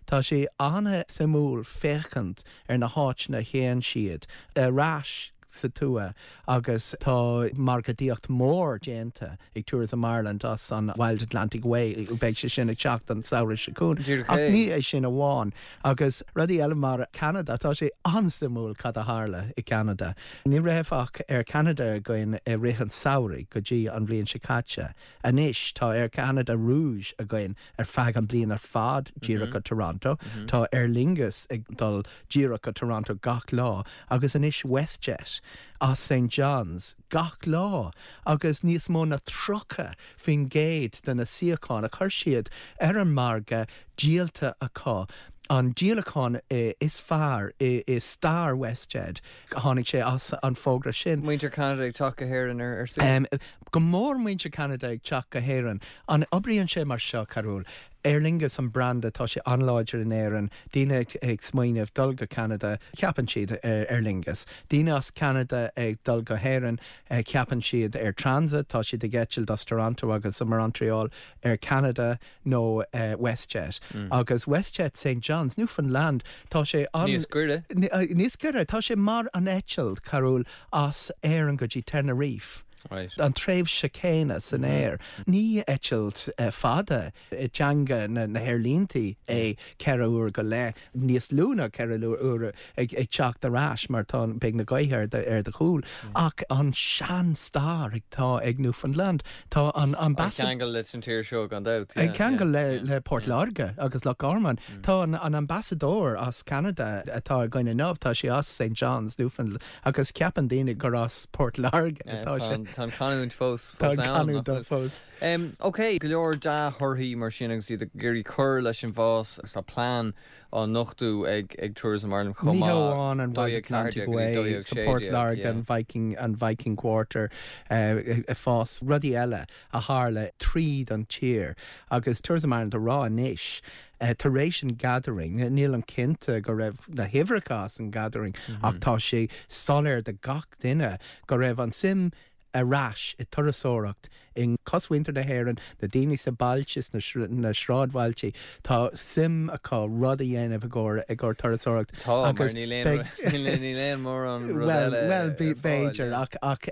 tá sé an-suimiúil féachaint ar na háiteanna a théann siad ar ais sa tuath agus tá margadaíocht mór déanta ag Tourism Ireland as an Wild Atlantic Way, beidh sé sin ag teacht an samhradh seo chugainn. Ach ní é sin amháin, agus rudaí eile mar Ceanada, tá sé an-suimiúil cad a tharla i gCeanada. Ní raibh ach Air Canada againn i rith an samhraidh go dtí an bhliain seo caite. Anois tá Air Canada Rouge againn ar feadh an bliain ar fad díreach go Toronto. Tá Aer Lingus ag dul díreach go Toronto gach lá agus anois WestJet as St John's gach lá agus níos mó ná 30% de na suíocháin a chuir siad ar an margadh díolta acu. An díolachán is fearr i stair WestJet, tháinig sé as an bhfógra sin. Muintir Cheanada ag teacht go hÉirinn ar saoire. Go mór muintir Cheanada ag teacht go hÉirinn. An oibríonn sé mar seo, Carúil? Aer Lingus an branda, tá sé an-láidir in Éirinn, daoine ag smaoineamh dul go Ceanada, ceapann siad ar Aer Lingus. Daoine as Ceanada ag dul go hÉirinn, ceapann siad Air Transat, tá siad ag eitilt as Toronto agus Montreal, Air Canada nó WestJet. Agus WestJet St John's, Newfoundland, tá sé an. Níos gaire. Níos gaire, tá sé mar an eitilt, Carúil, as Éirinn go dtí Tenerife. An tréimhse céanna san aer. Ní eitilt fada i dteanga na haerlíntí é 4 uair go leith, níos lú ná 4 uair ag teacht ar ais mar tá, beidh na gaotha ar do chúl. Ach an sean-stair atá ag Newfoundland, tá an An ceangal leis an tír seo gan dabht. An ceangal le Port Láirge agus Loch Garman. Tá an ambasadóir as Ceanada atá againn inniu, tá sé as St John's, Newfoundland. Agus ceapann daoine gur as Port Láirge atá sé. Tá an chanúint fós Tá an ann, canúint fós. Ok, go leor dea-thorthaí mar sin agus iad ag iarraidh cur leis an bhfás agus tá plean á nochtú ag ag Tourism Ireland chomh maith. Ní hamháin an Wild Atlantic Way sa Port Láirge, an Viking, an Viking Quarter ag fás, rudaí eile a tharla tríd an tír agus Tourism Ireland a rá anois tar éis an Gathering, nílim cinnte go raibh na huimhreacha as an Gathering ach tá sé soiléir do gach duine go raibh an suim ar ais i turasóireacht i gcosmhuintir na hÉireann, na daoine sa bailte, sna sráidbhailte, tá suim acu rud a dhéanamh i gcomhair i gcomhair turasóireacht Tá, mar níl aon níl aon mórán rud eile Bhuel, b'fhéidir ach ach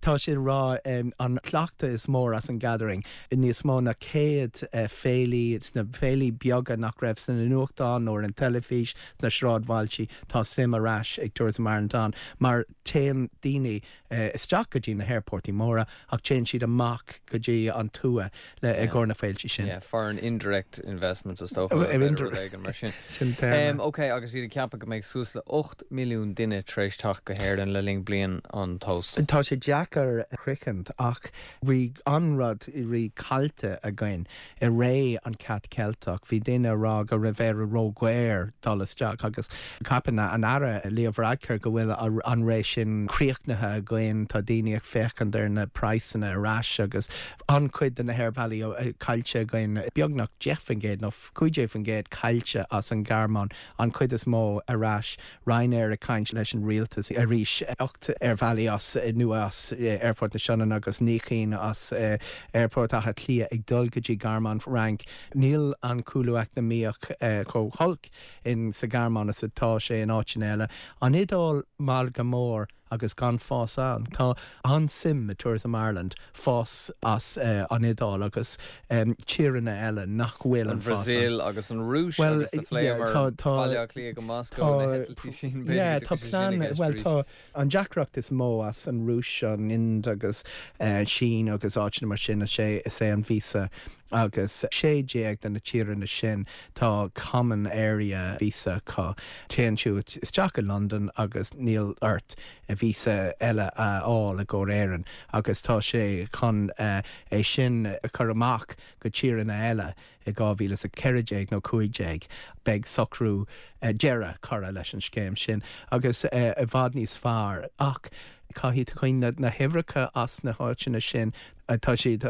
tá sé ag rá an cleachtadh is mór as an Gathering níos mó ná 100 féilí, sna féilí beaga nach raibh sna nuachtáin nó ar an teilifís, sna sráidbhailtí, tá suim ar ais ag Tourism Ireland ann mar téann daoine isteach go dtí na haerportaí móra ach téann siad amach go dtí an tuath le i gcomhair na féiltí sin. Yeah, foreign indirect investment is dócha, b'fhéidir rud éigin mar sin. Sin téarma. Ok, agus iad ag ceapadh go mbeidh suas le 8 milliún duine tar éis teacht go hÉirinn le linn bliain an Tóstail. Tá sé deacair a shroichint ach Bhí an-rud rí caillte againn i ré an Cat Ceilteach. Bhí daoine a rá go raibh Éire ró-dhaor dul isteach agus ceapann an Aire Leo Varadkar go bhfuil an ré sin críochnaithe againn. Tá daoine ag féachaint ar na praghsanna ar ais agus an-chuid de na haerbhealaí caillte againn, beagnach 10% nó 15% caillte as an Ghearmáin, an chuid is mó ar ais. Ryanair ag caint leis an rialtas arís. 8 aerbhealaí as nua as Aerfort na Sionainne agus 9 cinn as Aerfort Átha Cliath ag dul go dtí Gearmáin, Fhrainc. Níl an cúlú eacnamaíoch chomh holc in sa Ghearmáin is atá sé in áiteanna eile. An Iodáil margadh mór agus gan fás ann. Tá an-suim i Tourism Ireland fás as an Iodáil agus tíreanna eile nach bhfuil an fás ann. An Bhrasaíl agus an Rúis agus do phléamar Baile Átha Cliath go Moscó na heitiltí sin, b'fhéidir go dtiocfaidh sé sin i gceist arís. Bhuel tá an deacracht is mó as an Rúis, an Ind agus Sín agus áiteanna mar sin is é an víosa agus 16 de na tíreanna sin tá common area visa acu. Téann tú isteach i Londain agus níl ort víosa eile a fháil i gcomhair Éireann agus tá sé chun é sin a chur amach go tíreanna eile i 2014 nó 15. Beidh socrú deireadh curtha leis an scéim sin agus i bhfad níos fearr ach caithfidh tú cuimhneamh na huimhreacha as na háiteanna sin tá siad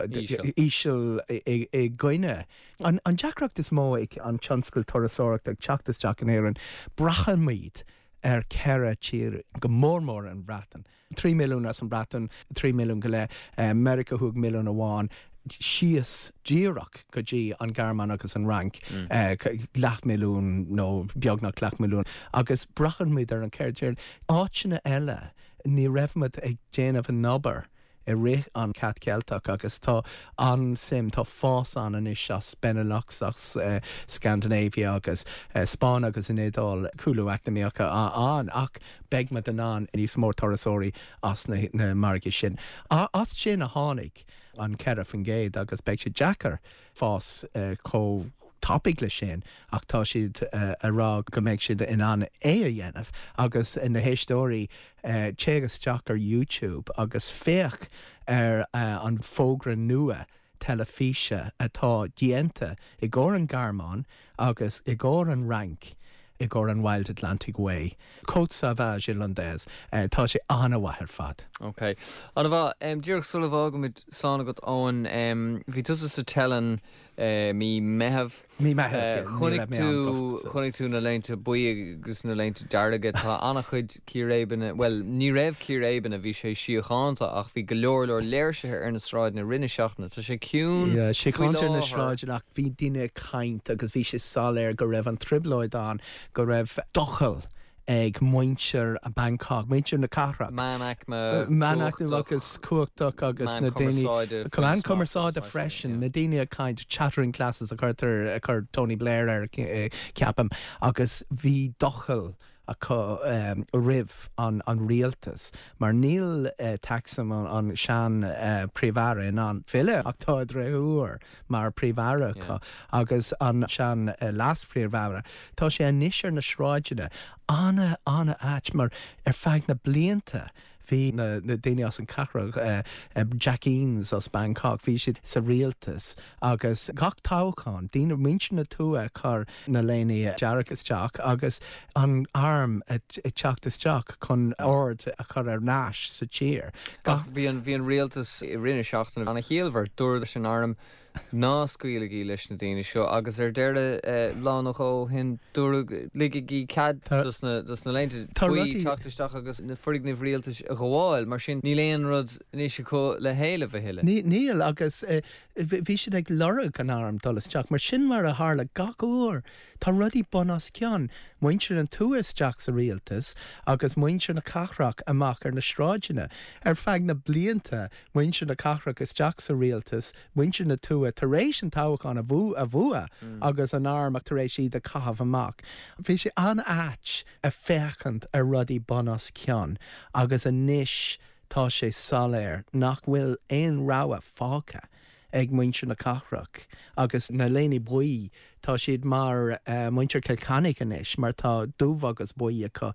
íseal i gcoinne. An deacracht is mó ag an tionscal turasóireachta ag teacht isteach in Éirinn, braithimid ar cheithre tír, go mór mór an Bhreatain. 3 milliún as an Bhreatain, 3 milliún go leith, Meiriceá Thuaidh milliún amháin, síos díreach go dtí an Ghearmáin agus an Fhrainc, leathmhilliún nó beagnach leathmhilliún. Agus braithimid ar an cheithre tír. Áiteanna eile, ní raibh muid ag déanamh an obair i rith an Cat Ceilteach agus tá an-suim, tá fás ann anois as Benelux, as Scandinavia agus Spáinn agus an Iodáil, cúlú eacnamaíoch ann ach beidh muid in ann níos mó turasóirí as na margaí sin. As sin a tháinig an 4% agus beidh sé deacair fás chomh tapaidh le sin ach tá siad a rá go mbeidh siad in ann é a dhéanamh agus na héisteoirí téigh isteach ar YouTube agus féach ar an bhfógra nua teilifíse atá déanta i gcomhair an Ghearmáin agus i gcomhair an Fhrainc i gcomhair an Wild Atlantic Way. Côte Sauvage Irlandaise. Tá sé an-mhaith ar fad. Ok. An-mhaith. Díreach sula bhfágaimid, slán agat Eoin, bhí tusa sa Teileann mí Meitheamh. Mí Meitheamh, yeah. Chonaic tú, chonaic tú na léinte buí agus na léinte dearga. Tá an-chuid círéibeanna, bhuel, ní raibh círéibeanna, bhí sé síochánta ach bhí go leor leor léirsithe ar na sráideanna i rith na seachtaine. Tá sé ciúin Yeah, faoi síochánta ar na láthair. sráideanna ach bhí daoine ag caint agus bhí sé soiléir go raibh an trioblóid ann, go raibh doicheall. ag muintir Bangkok, muintir na cathrach. Meánaicme Meánaicme agus cumhachtach agus na daoine, meán cumarsáide freisin, na daoine ag caint, chattering classes a chuirtear, a chuir Tony Blair air ceapaim, agus bhí doicheall acu roimh an rialtas mar níl Thaksin an sean Príomh-Aire in ann filleadh ach tá a dhriotháir mar Príomh-Aire acu agus an sean Leas-Phríomh-Aire. Tá sé anois ar na sráideanna. Ana, ana-ait mar ar feadh na blianta bhí na daoine as an cathrach, Jack Eames as Bangkok, bhí siad sa rialtas agus gach toghchán, daoine, muintir na tuaithe ag cur na léine dearg isteach agus an arm ag teacht isteach chun ord a chur ar ais sa tír. Ach bhí an, bhí an rialtas i rith na seachtaine ana-chiallmhar. Dúradh leis an arm Ná scaoiligí leis na daoine seo agus ar deireadh, lá nó dhó ó shin, dúradh, ligigí cead dos na léinte buí teacht isteach agus na foirgnimh rialtais a ghabháil. Mar sin, níl aon rud anois acu le héileamh a thuilleadh. Níl, agus bhí siad ag lorg an arm dul isteach, mar sin mar a tharla gach uair. Tá rudaí bun os cionn, muintir an tuath isteach sa rialtas agus muintir na cathrach amach ar na sráideanna. Ar feadh na blianta, muintir na cathrach isteach sa rialtas, muintir na tuaithe tar éis an toghchán a bhua agus an arm tar éis iad a chaitheamh amach. Bhí sé an-ait a féachaint ar rudaí bun os cionn agus anois tá sé soiléir nach bhfuil aon rogha fágtha ag muintir na cathrach agus na léine buí Tá siad mar muintir Chill Chainnigh anois mar tá dubh agus buí acu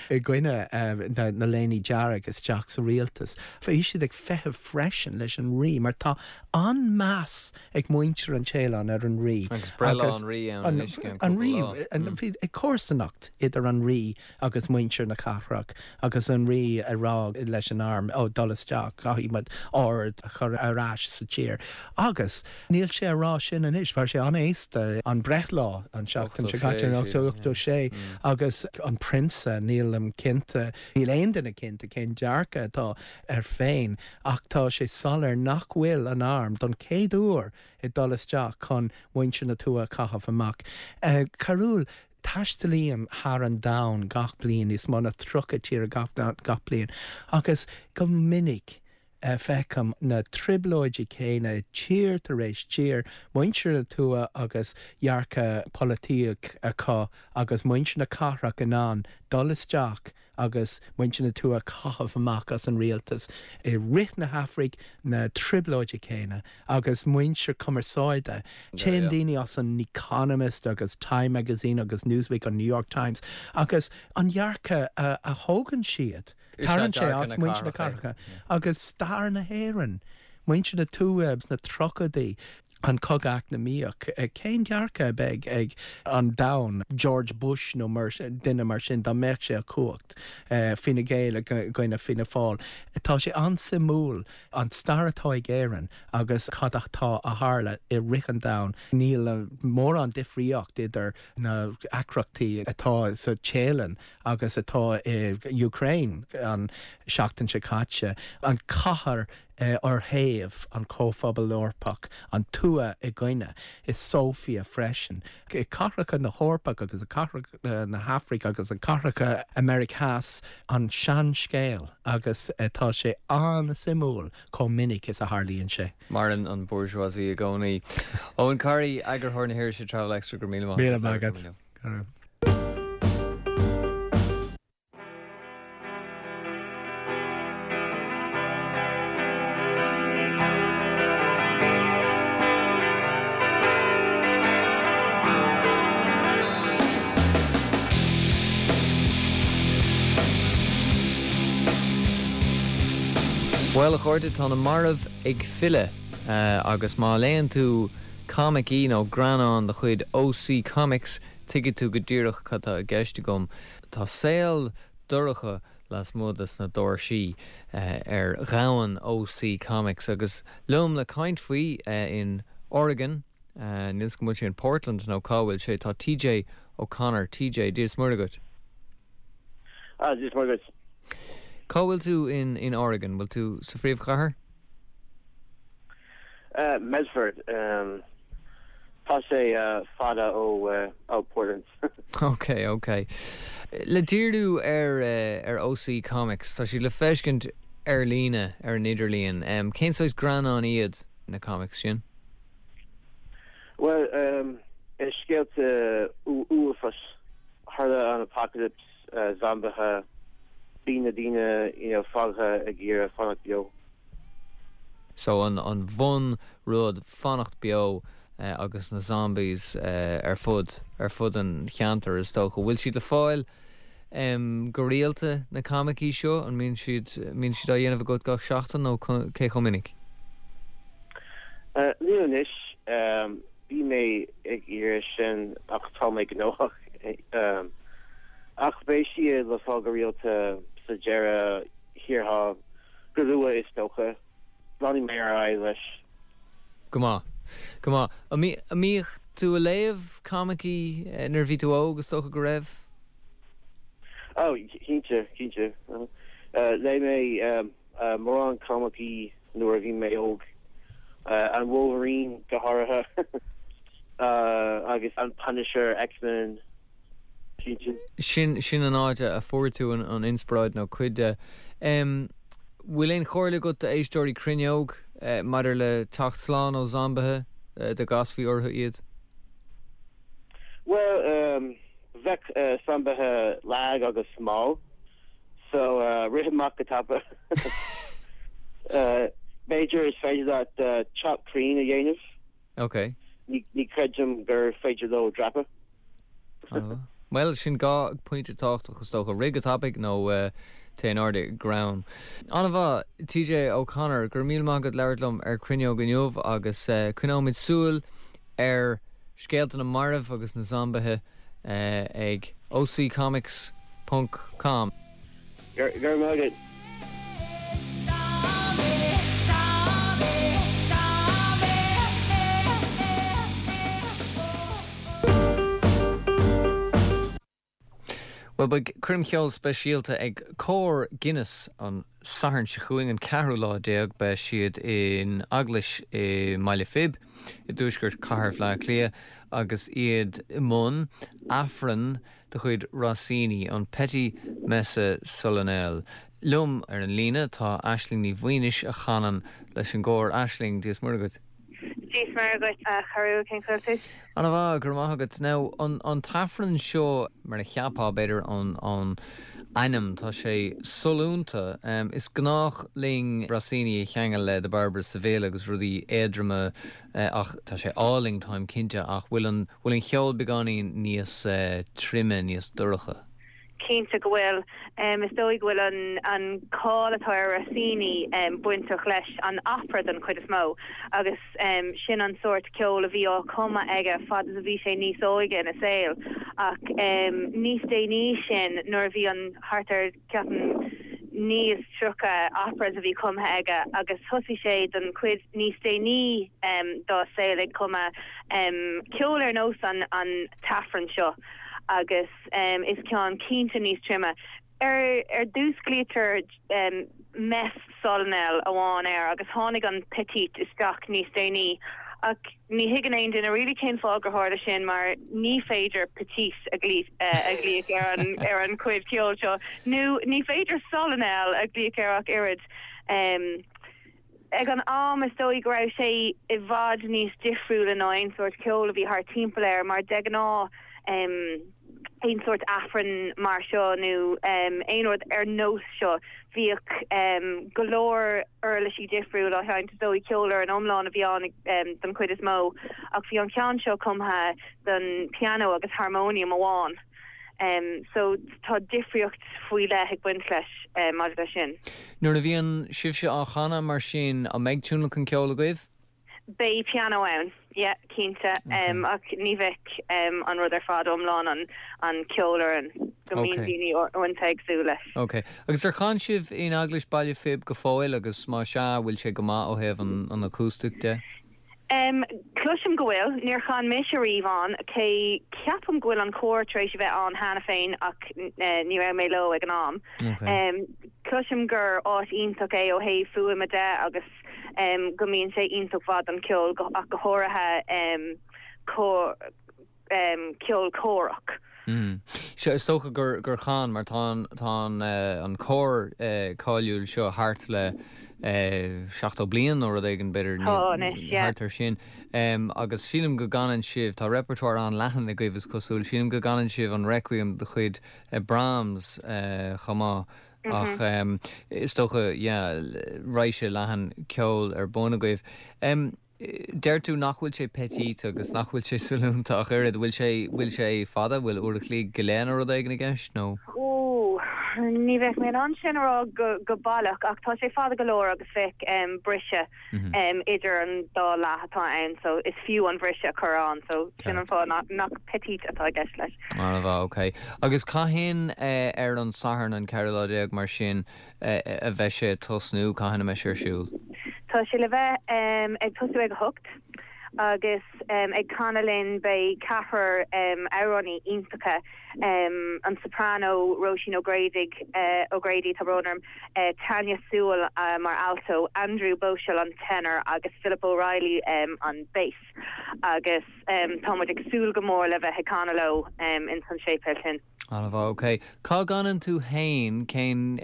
i gcoinne na léine dearg isteach sa rialtas. Bhí siad ag feitheamh freisin leis an Rí mar tá an-meas ag muintir an Téalainn ar an Rí. Agus breithlá an Rí ann anois i gceann cúpla lá. Bhí comharsanacht idir an Rí agus muintir na cathrach agus an Rí ag rá leis an arm, ó, dul isteach, caithfidh muid ord a chur ar ais sa tír. Agus níl sé a rá sin anois, mar sé an-aosta an breithlá an seachtain seo caite, 86, agus an prionsa, nílim cinnte, níl aon duine cinnte cén dearcadh atá air féin, ach tá sé soiléir nach bhfuil an arm, don chéad uair, ag dul isteach chun muintir na tuaithe a chaitheamh amach. Cearúil, Taistealaím thar an domhan gach bliain, níos mó ná 30 tír gach bliain, agus go minic feicim na trioblóidí céanna tír tar éis tír, muintir na tuaithe agus dearcadh polaitíoch acu agus muintir na cathrach in ann dul isteach agus muintir na tuaithe a chaitheamh amach as an rialtas. I rith na hAfraic, na trioblóidí céanna agus muintir cumarsáide. Téann daoine as an Economist agus Time Magazine agus Newsweek, an New York Times agus an dearcadh a thógann siad, tarraingt sé as muintir na cathracha agus stair na hÉireann, muintir na tuaithe sna tríochaidí. an cogadh eacnamaíoch, cén dearcadh a bheidh ag an domhan, George Bush nó duine mar sin dá mbeadh sé i gcumhacht, Fine Gael i gcoinne Fianna Fáil. Tá sé an-suimiúil an stair atá ag Éirinn agus cad atá a tharla i rith an domhain. Níl mórán difríocht idir na deacrachtaí atá sa Téalainn agus atá i Ukraine an seachtain seo caite. An cathair ar thaobh an Chomhphobal Eorpach, an tuath i gcoinne, i Sofia freisin, i cathracha na hEorpach agus i cathracha na hAfraice agus i cathracha Meiriceá Theas, an seanscéal agus tá sé an-suimiúil chomh minic is a tharlaíonn sé. Maireann an bourgeoisie i gcónaí. Eoin Corry, eagarthóir na hirise Travel Extra, go raibh míle maith agat. Míle maith agat. Go raibh. Bhuel, a chairde, tá na mairbh ag filleadh agus má léann tú coimicí nó greannán de chuid OC Comics, tuigfidh tú go díreach cad tá i gceist agam. Tá saol dorcha lasmuigh de sna doirsí ar dhomhan OC Comics agus liom le caint faoi in Oregon, níl 'fhios agam an bhfuil sé in Portland nó cá bhfuil sé, tá TJ O'Connor. TJ, Dia is Muire dhuit. Ah, Dia is Muire dhuit. Cá bhfuil tú in in Oregon? Bhfuil tú sa phríomhchathair? Medford. Tá sé fada ó Portland. Ok, ok. Le díriú ar ar OC Comics, tá siad le feiscint ar líne ar an idirlíon. Cén saghas greannán iad na comics sin? Bhuel, is scéalta uafáis. Tharla an apocalypse, zombaithe, bíonn na daoine you know fágtha ag iarraidh fanacht beo. So an an bhun rud fanacht beo agus na zombies ar fud ar fud an cheantair is dócha. Bhfuil siad le fáil go rialta na coimicí seo? An mbíonn siad mbíonn siad á dhéanamh agat gach seachtain nó cé chomh minic? Níl anois. Bhí mé ag iarraidh sin ach tá mé gnóthach. Ach beidh siad le fáil go rialta sa deireadh thiar thall, go luath is dócha. Leanfaidh mé ar aghaidh leis. Go maith. Go maith. An mbíodh tú a léamh coimicí nuair a bhí tú óg, is dócha go raibh? Oh, cinnte, cinnte. Léigh mé mórán coimicí nuair a bhí mé óg. An Wolverine go háirithe. Agus an Punisher, X-Men. Cinnte. Sin, sin an áit a fuair tú an inspioráid nó cuid de. Bhfuil aon chomhairle agat d'éisteoirí Cruinneog maidir le teacht slán ó zombaithe dá gcasfaí orthu iad? Bhuel, bheadh zombaithe lag agus mall, so rith amach go tapa. B'fhéidir is féidir leat teacht crainn a dhéanamh. Ok. Ní chreidim gur féidir leo dreapadh. Bhuel, sin 2 pointe tábhachtach is dócha. Rith go tapaidh nó téigh in airde i gcrann. An-mhaith, TJ O'Connor, go raibh míle maith agat labhairt liom ar Cruinneog inniu agus coinneoimid súil ar scéalta na marbh agus na zombaithe ag occomics ponc com. Go raibh maith agat. Bhuel, beidh coirm cheoil speisialta ag Cór Guinness an Satharn seo chugainn, an ceathrú lá déag. Beidh siad in Eaglais i mBaile Phib i dtuaisceart chathair Bhaile Átha Cliath agus iad i mbun Aifreann de chuid Rossini, an Petit Messe Solennelle. Liom ar an líne tá Aisling Ní Mhaonaigh a chanann leis an gcór. Aisling, Dia is Muire dhuit. Dia is Muire dhuit, a chara, cén chaoi a bhfuil tú? Ana-mhaith, go raibh maith agat. Now, an t-aifreann seo, mar a cheapfá, b'fhéidir, ón ainm, tá sé sollúnta. Is gnách linn Rossini a cheangal le The Barber of Seville agus rudaí éadroma ach tá sé álainn, táim cinnte, ach bhfuil an Bhfuil an cheol beagáinín níos troime, níos dorcha? Cinnte go bhfuil. Is dóigh go bhfuil an cáil atá ar Rossini bainteach leis an opera don chuid is mó agus sin an sórt ceoil a bhí á chumadh aige fad is a bhí sé níos óige ina saol ach níos déanaí sin nuair a bhí an thart ar ceapaim 39 operas a bhí cumtha aige agus thosaigh sé don chuid níos déanaí dá saol ag cumadh ceol ar nós an t-aifreann seo agus is ceann cinnte níos troime. Ar dtús glaoitear Messe Solennelle amháin air agus tháinig an Petit isteach níos déanaí ach ní thuigeann aon duine really cén fáth gur tharla sin mar ní féidir Petit a ghlaoch ar an ar an chuid ceoil seo nó ní féidir Solennelle a ghlaoch air ach oiread. Ag an am is dóigh go raibh sé i bhfad níos difriúla ná aon sórt ceoil a bhí thart timpeall air mar de ghnáth aon sórt aifreann mar seo nó aon rud ar nós seo bhíodh go leor uirlisí difriúla á sheinnt, is dóigh ceolfhoireann iomlán a bhí ann don chuid is mó ach bhí an ceann seo cumtha don pianó agus harmóniam amháin so tá difríocht faoi leith ag baint leis maidir leis sin. Nuair a bhíonn sibhse á chanadh mar sin, an mbeidh tionlacan ceoil agaibh? Beidh pianó ann, yeah, cinnte, ach ní bheidh an rud ar fad iomlán, an ceolfhoireann, go mbíonn daoine uaireanta ag súil leis. Ok. Agus ar chan sibh in Eaglais Baile Phib go fóill agus má sea, bhfuil sé go maith ó thaobh an acoustic de? Cloisim go bhfuil. Níor chan mise riamh ann, cé ceapaim go bhfuil an cór tar éis a bheith ann cheana féin ach ní raibh mé leo ag an am. Cloisim gur áit iontach é ó thaobh fuaime de agus go mbíonn sé iontach mhaith don cheol ach go háirithe ceol córach. Sea, is dócha gur gur chan, mar tá an tá an an cór cáiliúil seo thart le 70 bliain nó rud éigin, b'fhéidir, Tá anois, yeah. thart ar sin. Agus sílim go gcanann sibh, tá repertoire an-leathan agaibh is cosúil, sílim go gcanann sibh an Requiem de chuid Brahms chomh maith. Ach is dócha, yeah, raidhse leathan ceoil ar bun agaibh. Deir tú nach bhfuil sé petite agus nach bhfuil sé sollúnta ach oiread. Bhfuil sé, bhfuil sé fada? Bhfuil uair a chloig go leith nó rud éigin i gceist nó? Ó, ní bheadh mé in ann sin a rá go, go baileach ach tá sé fada go leor agus bheadh briseadh idir an dá leath atá ann so is fiú an bhriseadh a chur ann so sin an fáth nach, nach petite atá i gceist leis. An-mhaith, ok. Agus cathain ar an Satharn an ceathrú lá déag mar sin a bheidh sé ag tosnú, cathain a mbeidh sé ar siúl? Tá sé le bheith ag tosú ag 8 agus ag canadh linn beidh ceathrar amhránaí iontacha, an soprano Róisín O'Grady, O'Grady, tá brón orm, Tanya Sewell mar alto, Andrew Boushell an tenor agus Philip O'Reilly an bass agus tá muid ag súil go mór le bheith ag canadh leo ins an séipéal sin. An-mhaith, ok. Cá gcanann tú fhéin, cén,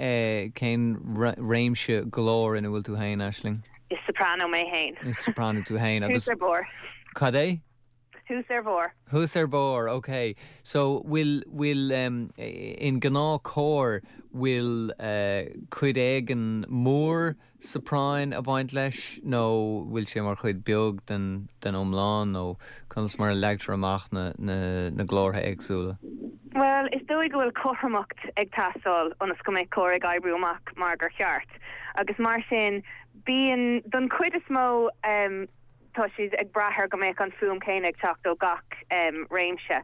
cén réimse glóir ina bhfuil tú fhéin, Aisling? Is soprano mé fhéin. Is soprano tú fhéin agus. Thuas ar barr. Cad é? Thuas ar bharr. Thuas ar barr, ok. So, bhfuil, bhfuil, in gnáthchór, bhfuil cuid éigin mór sopráin ag baint leis nó bhfuil sé mar chuid beag den den iomlán nó conas mar a leagtar amach na na na glórtha éagsúla? Bhuel, is dóigh go bhfuil cothromacht ag teastáil ionas go mbeidh cór ag oibriú amach mar gur cheart agus mar sin bíonn, don chuid is mó, tá siad ag brath ar go mbeadh an fuaim céanna ag teacht ó gach réimse.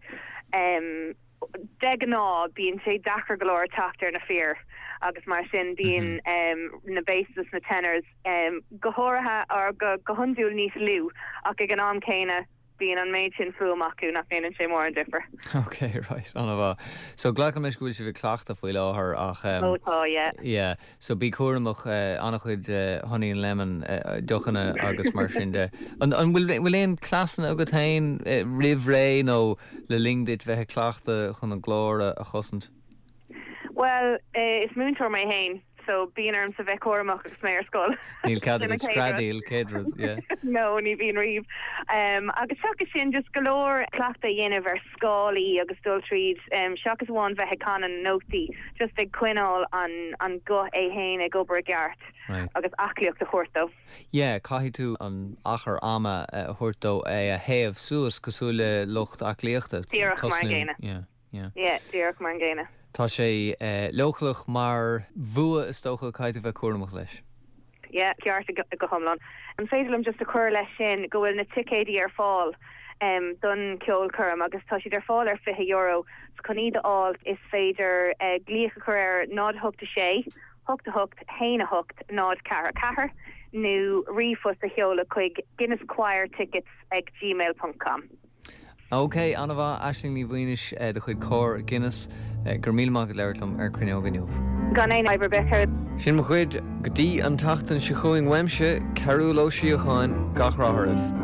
De ghnáth, bíonn sé deacair go leor teacht ar na fir agus mar sin bíonn na basses is na tenors go háirithe, or go hiondúil níos lú ach ag an am céanna bíonn an méid sin fuaim acu nach ndéanann sé mórán difir. Ok, right, an-mhaith. So glacaim leis go bhfuil sibh ag cleachtadh faoi láthair ach. Ó tá, yeah. Yeah. So bí cúramach, an-chuid honey and lemon, deochanna agus mar sin de. An bhfuil bhfuil aon cleasanna agat féin roimh ré nó le linn duit bheith ag cleachtadh chun an glór a chosaint? Bhuel, is múinteoir mé féin so bíonn ormsa bheith cúramach agus mé ar scoil. Níl cead agat screadaíl, céad rud, yeah. No, ní bhíonn riamh. Agus seachas sin, just go leor cleachtadh a dhéanamh ar scálaí agus dul tríd, seachas amháin bheith ag canadh na nótaí, just ag coinneáil an an guth é fhéin ag obair i gceart agus aclaíocht a thabhairt dó. Yeah, caithfidh tú an achar ama a thabhairt dó é a théamh suas cosúil le lucht aclaíochta. Díreach mar an gcéanna. Yeah, yeah. Yeah, díreach mar an gcéanna. Tá sé leochaileach mar bhua is dócha, caithfidh tú bheith cúramach leis. Yeah, ceart go hiomlán. An féidir liom just a chur leis sin go bhfuil na ticéidí ar fáil don ceolchoirm agus tá siad ar fáil ar €20. So chun iad a fháil is féidir glaoch a chur ar 0 8 6 8 8 1 8 0 4 4 nó ríomhphost a sheoladh chuig guinnesschoirtickets ag gmail ponc com. Ok, an-mhaith, Aisling Ní Mhaonaigh de chuid Cór Guinness, go raibh míle maith agat labhairt liom ar Cruinneog inniu. Gan aon fhadhb ar bith. Sin mo chuid go dtí an tseachtain seo chugainn uaimse, Cearúll Ó Síocháin, gach rath oraibh.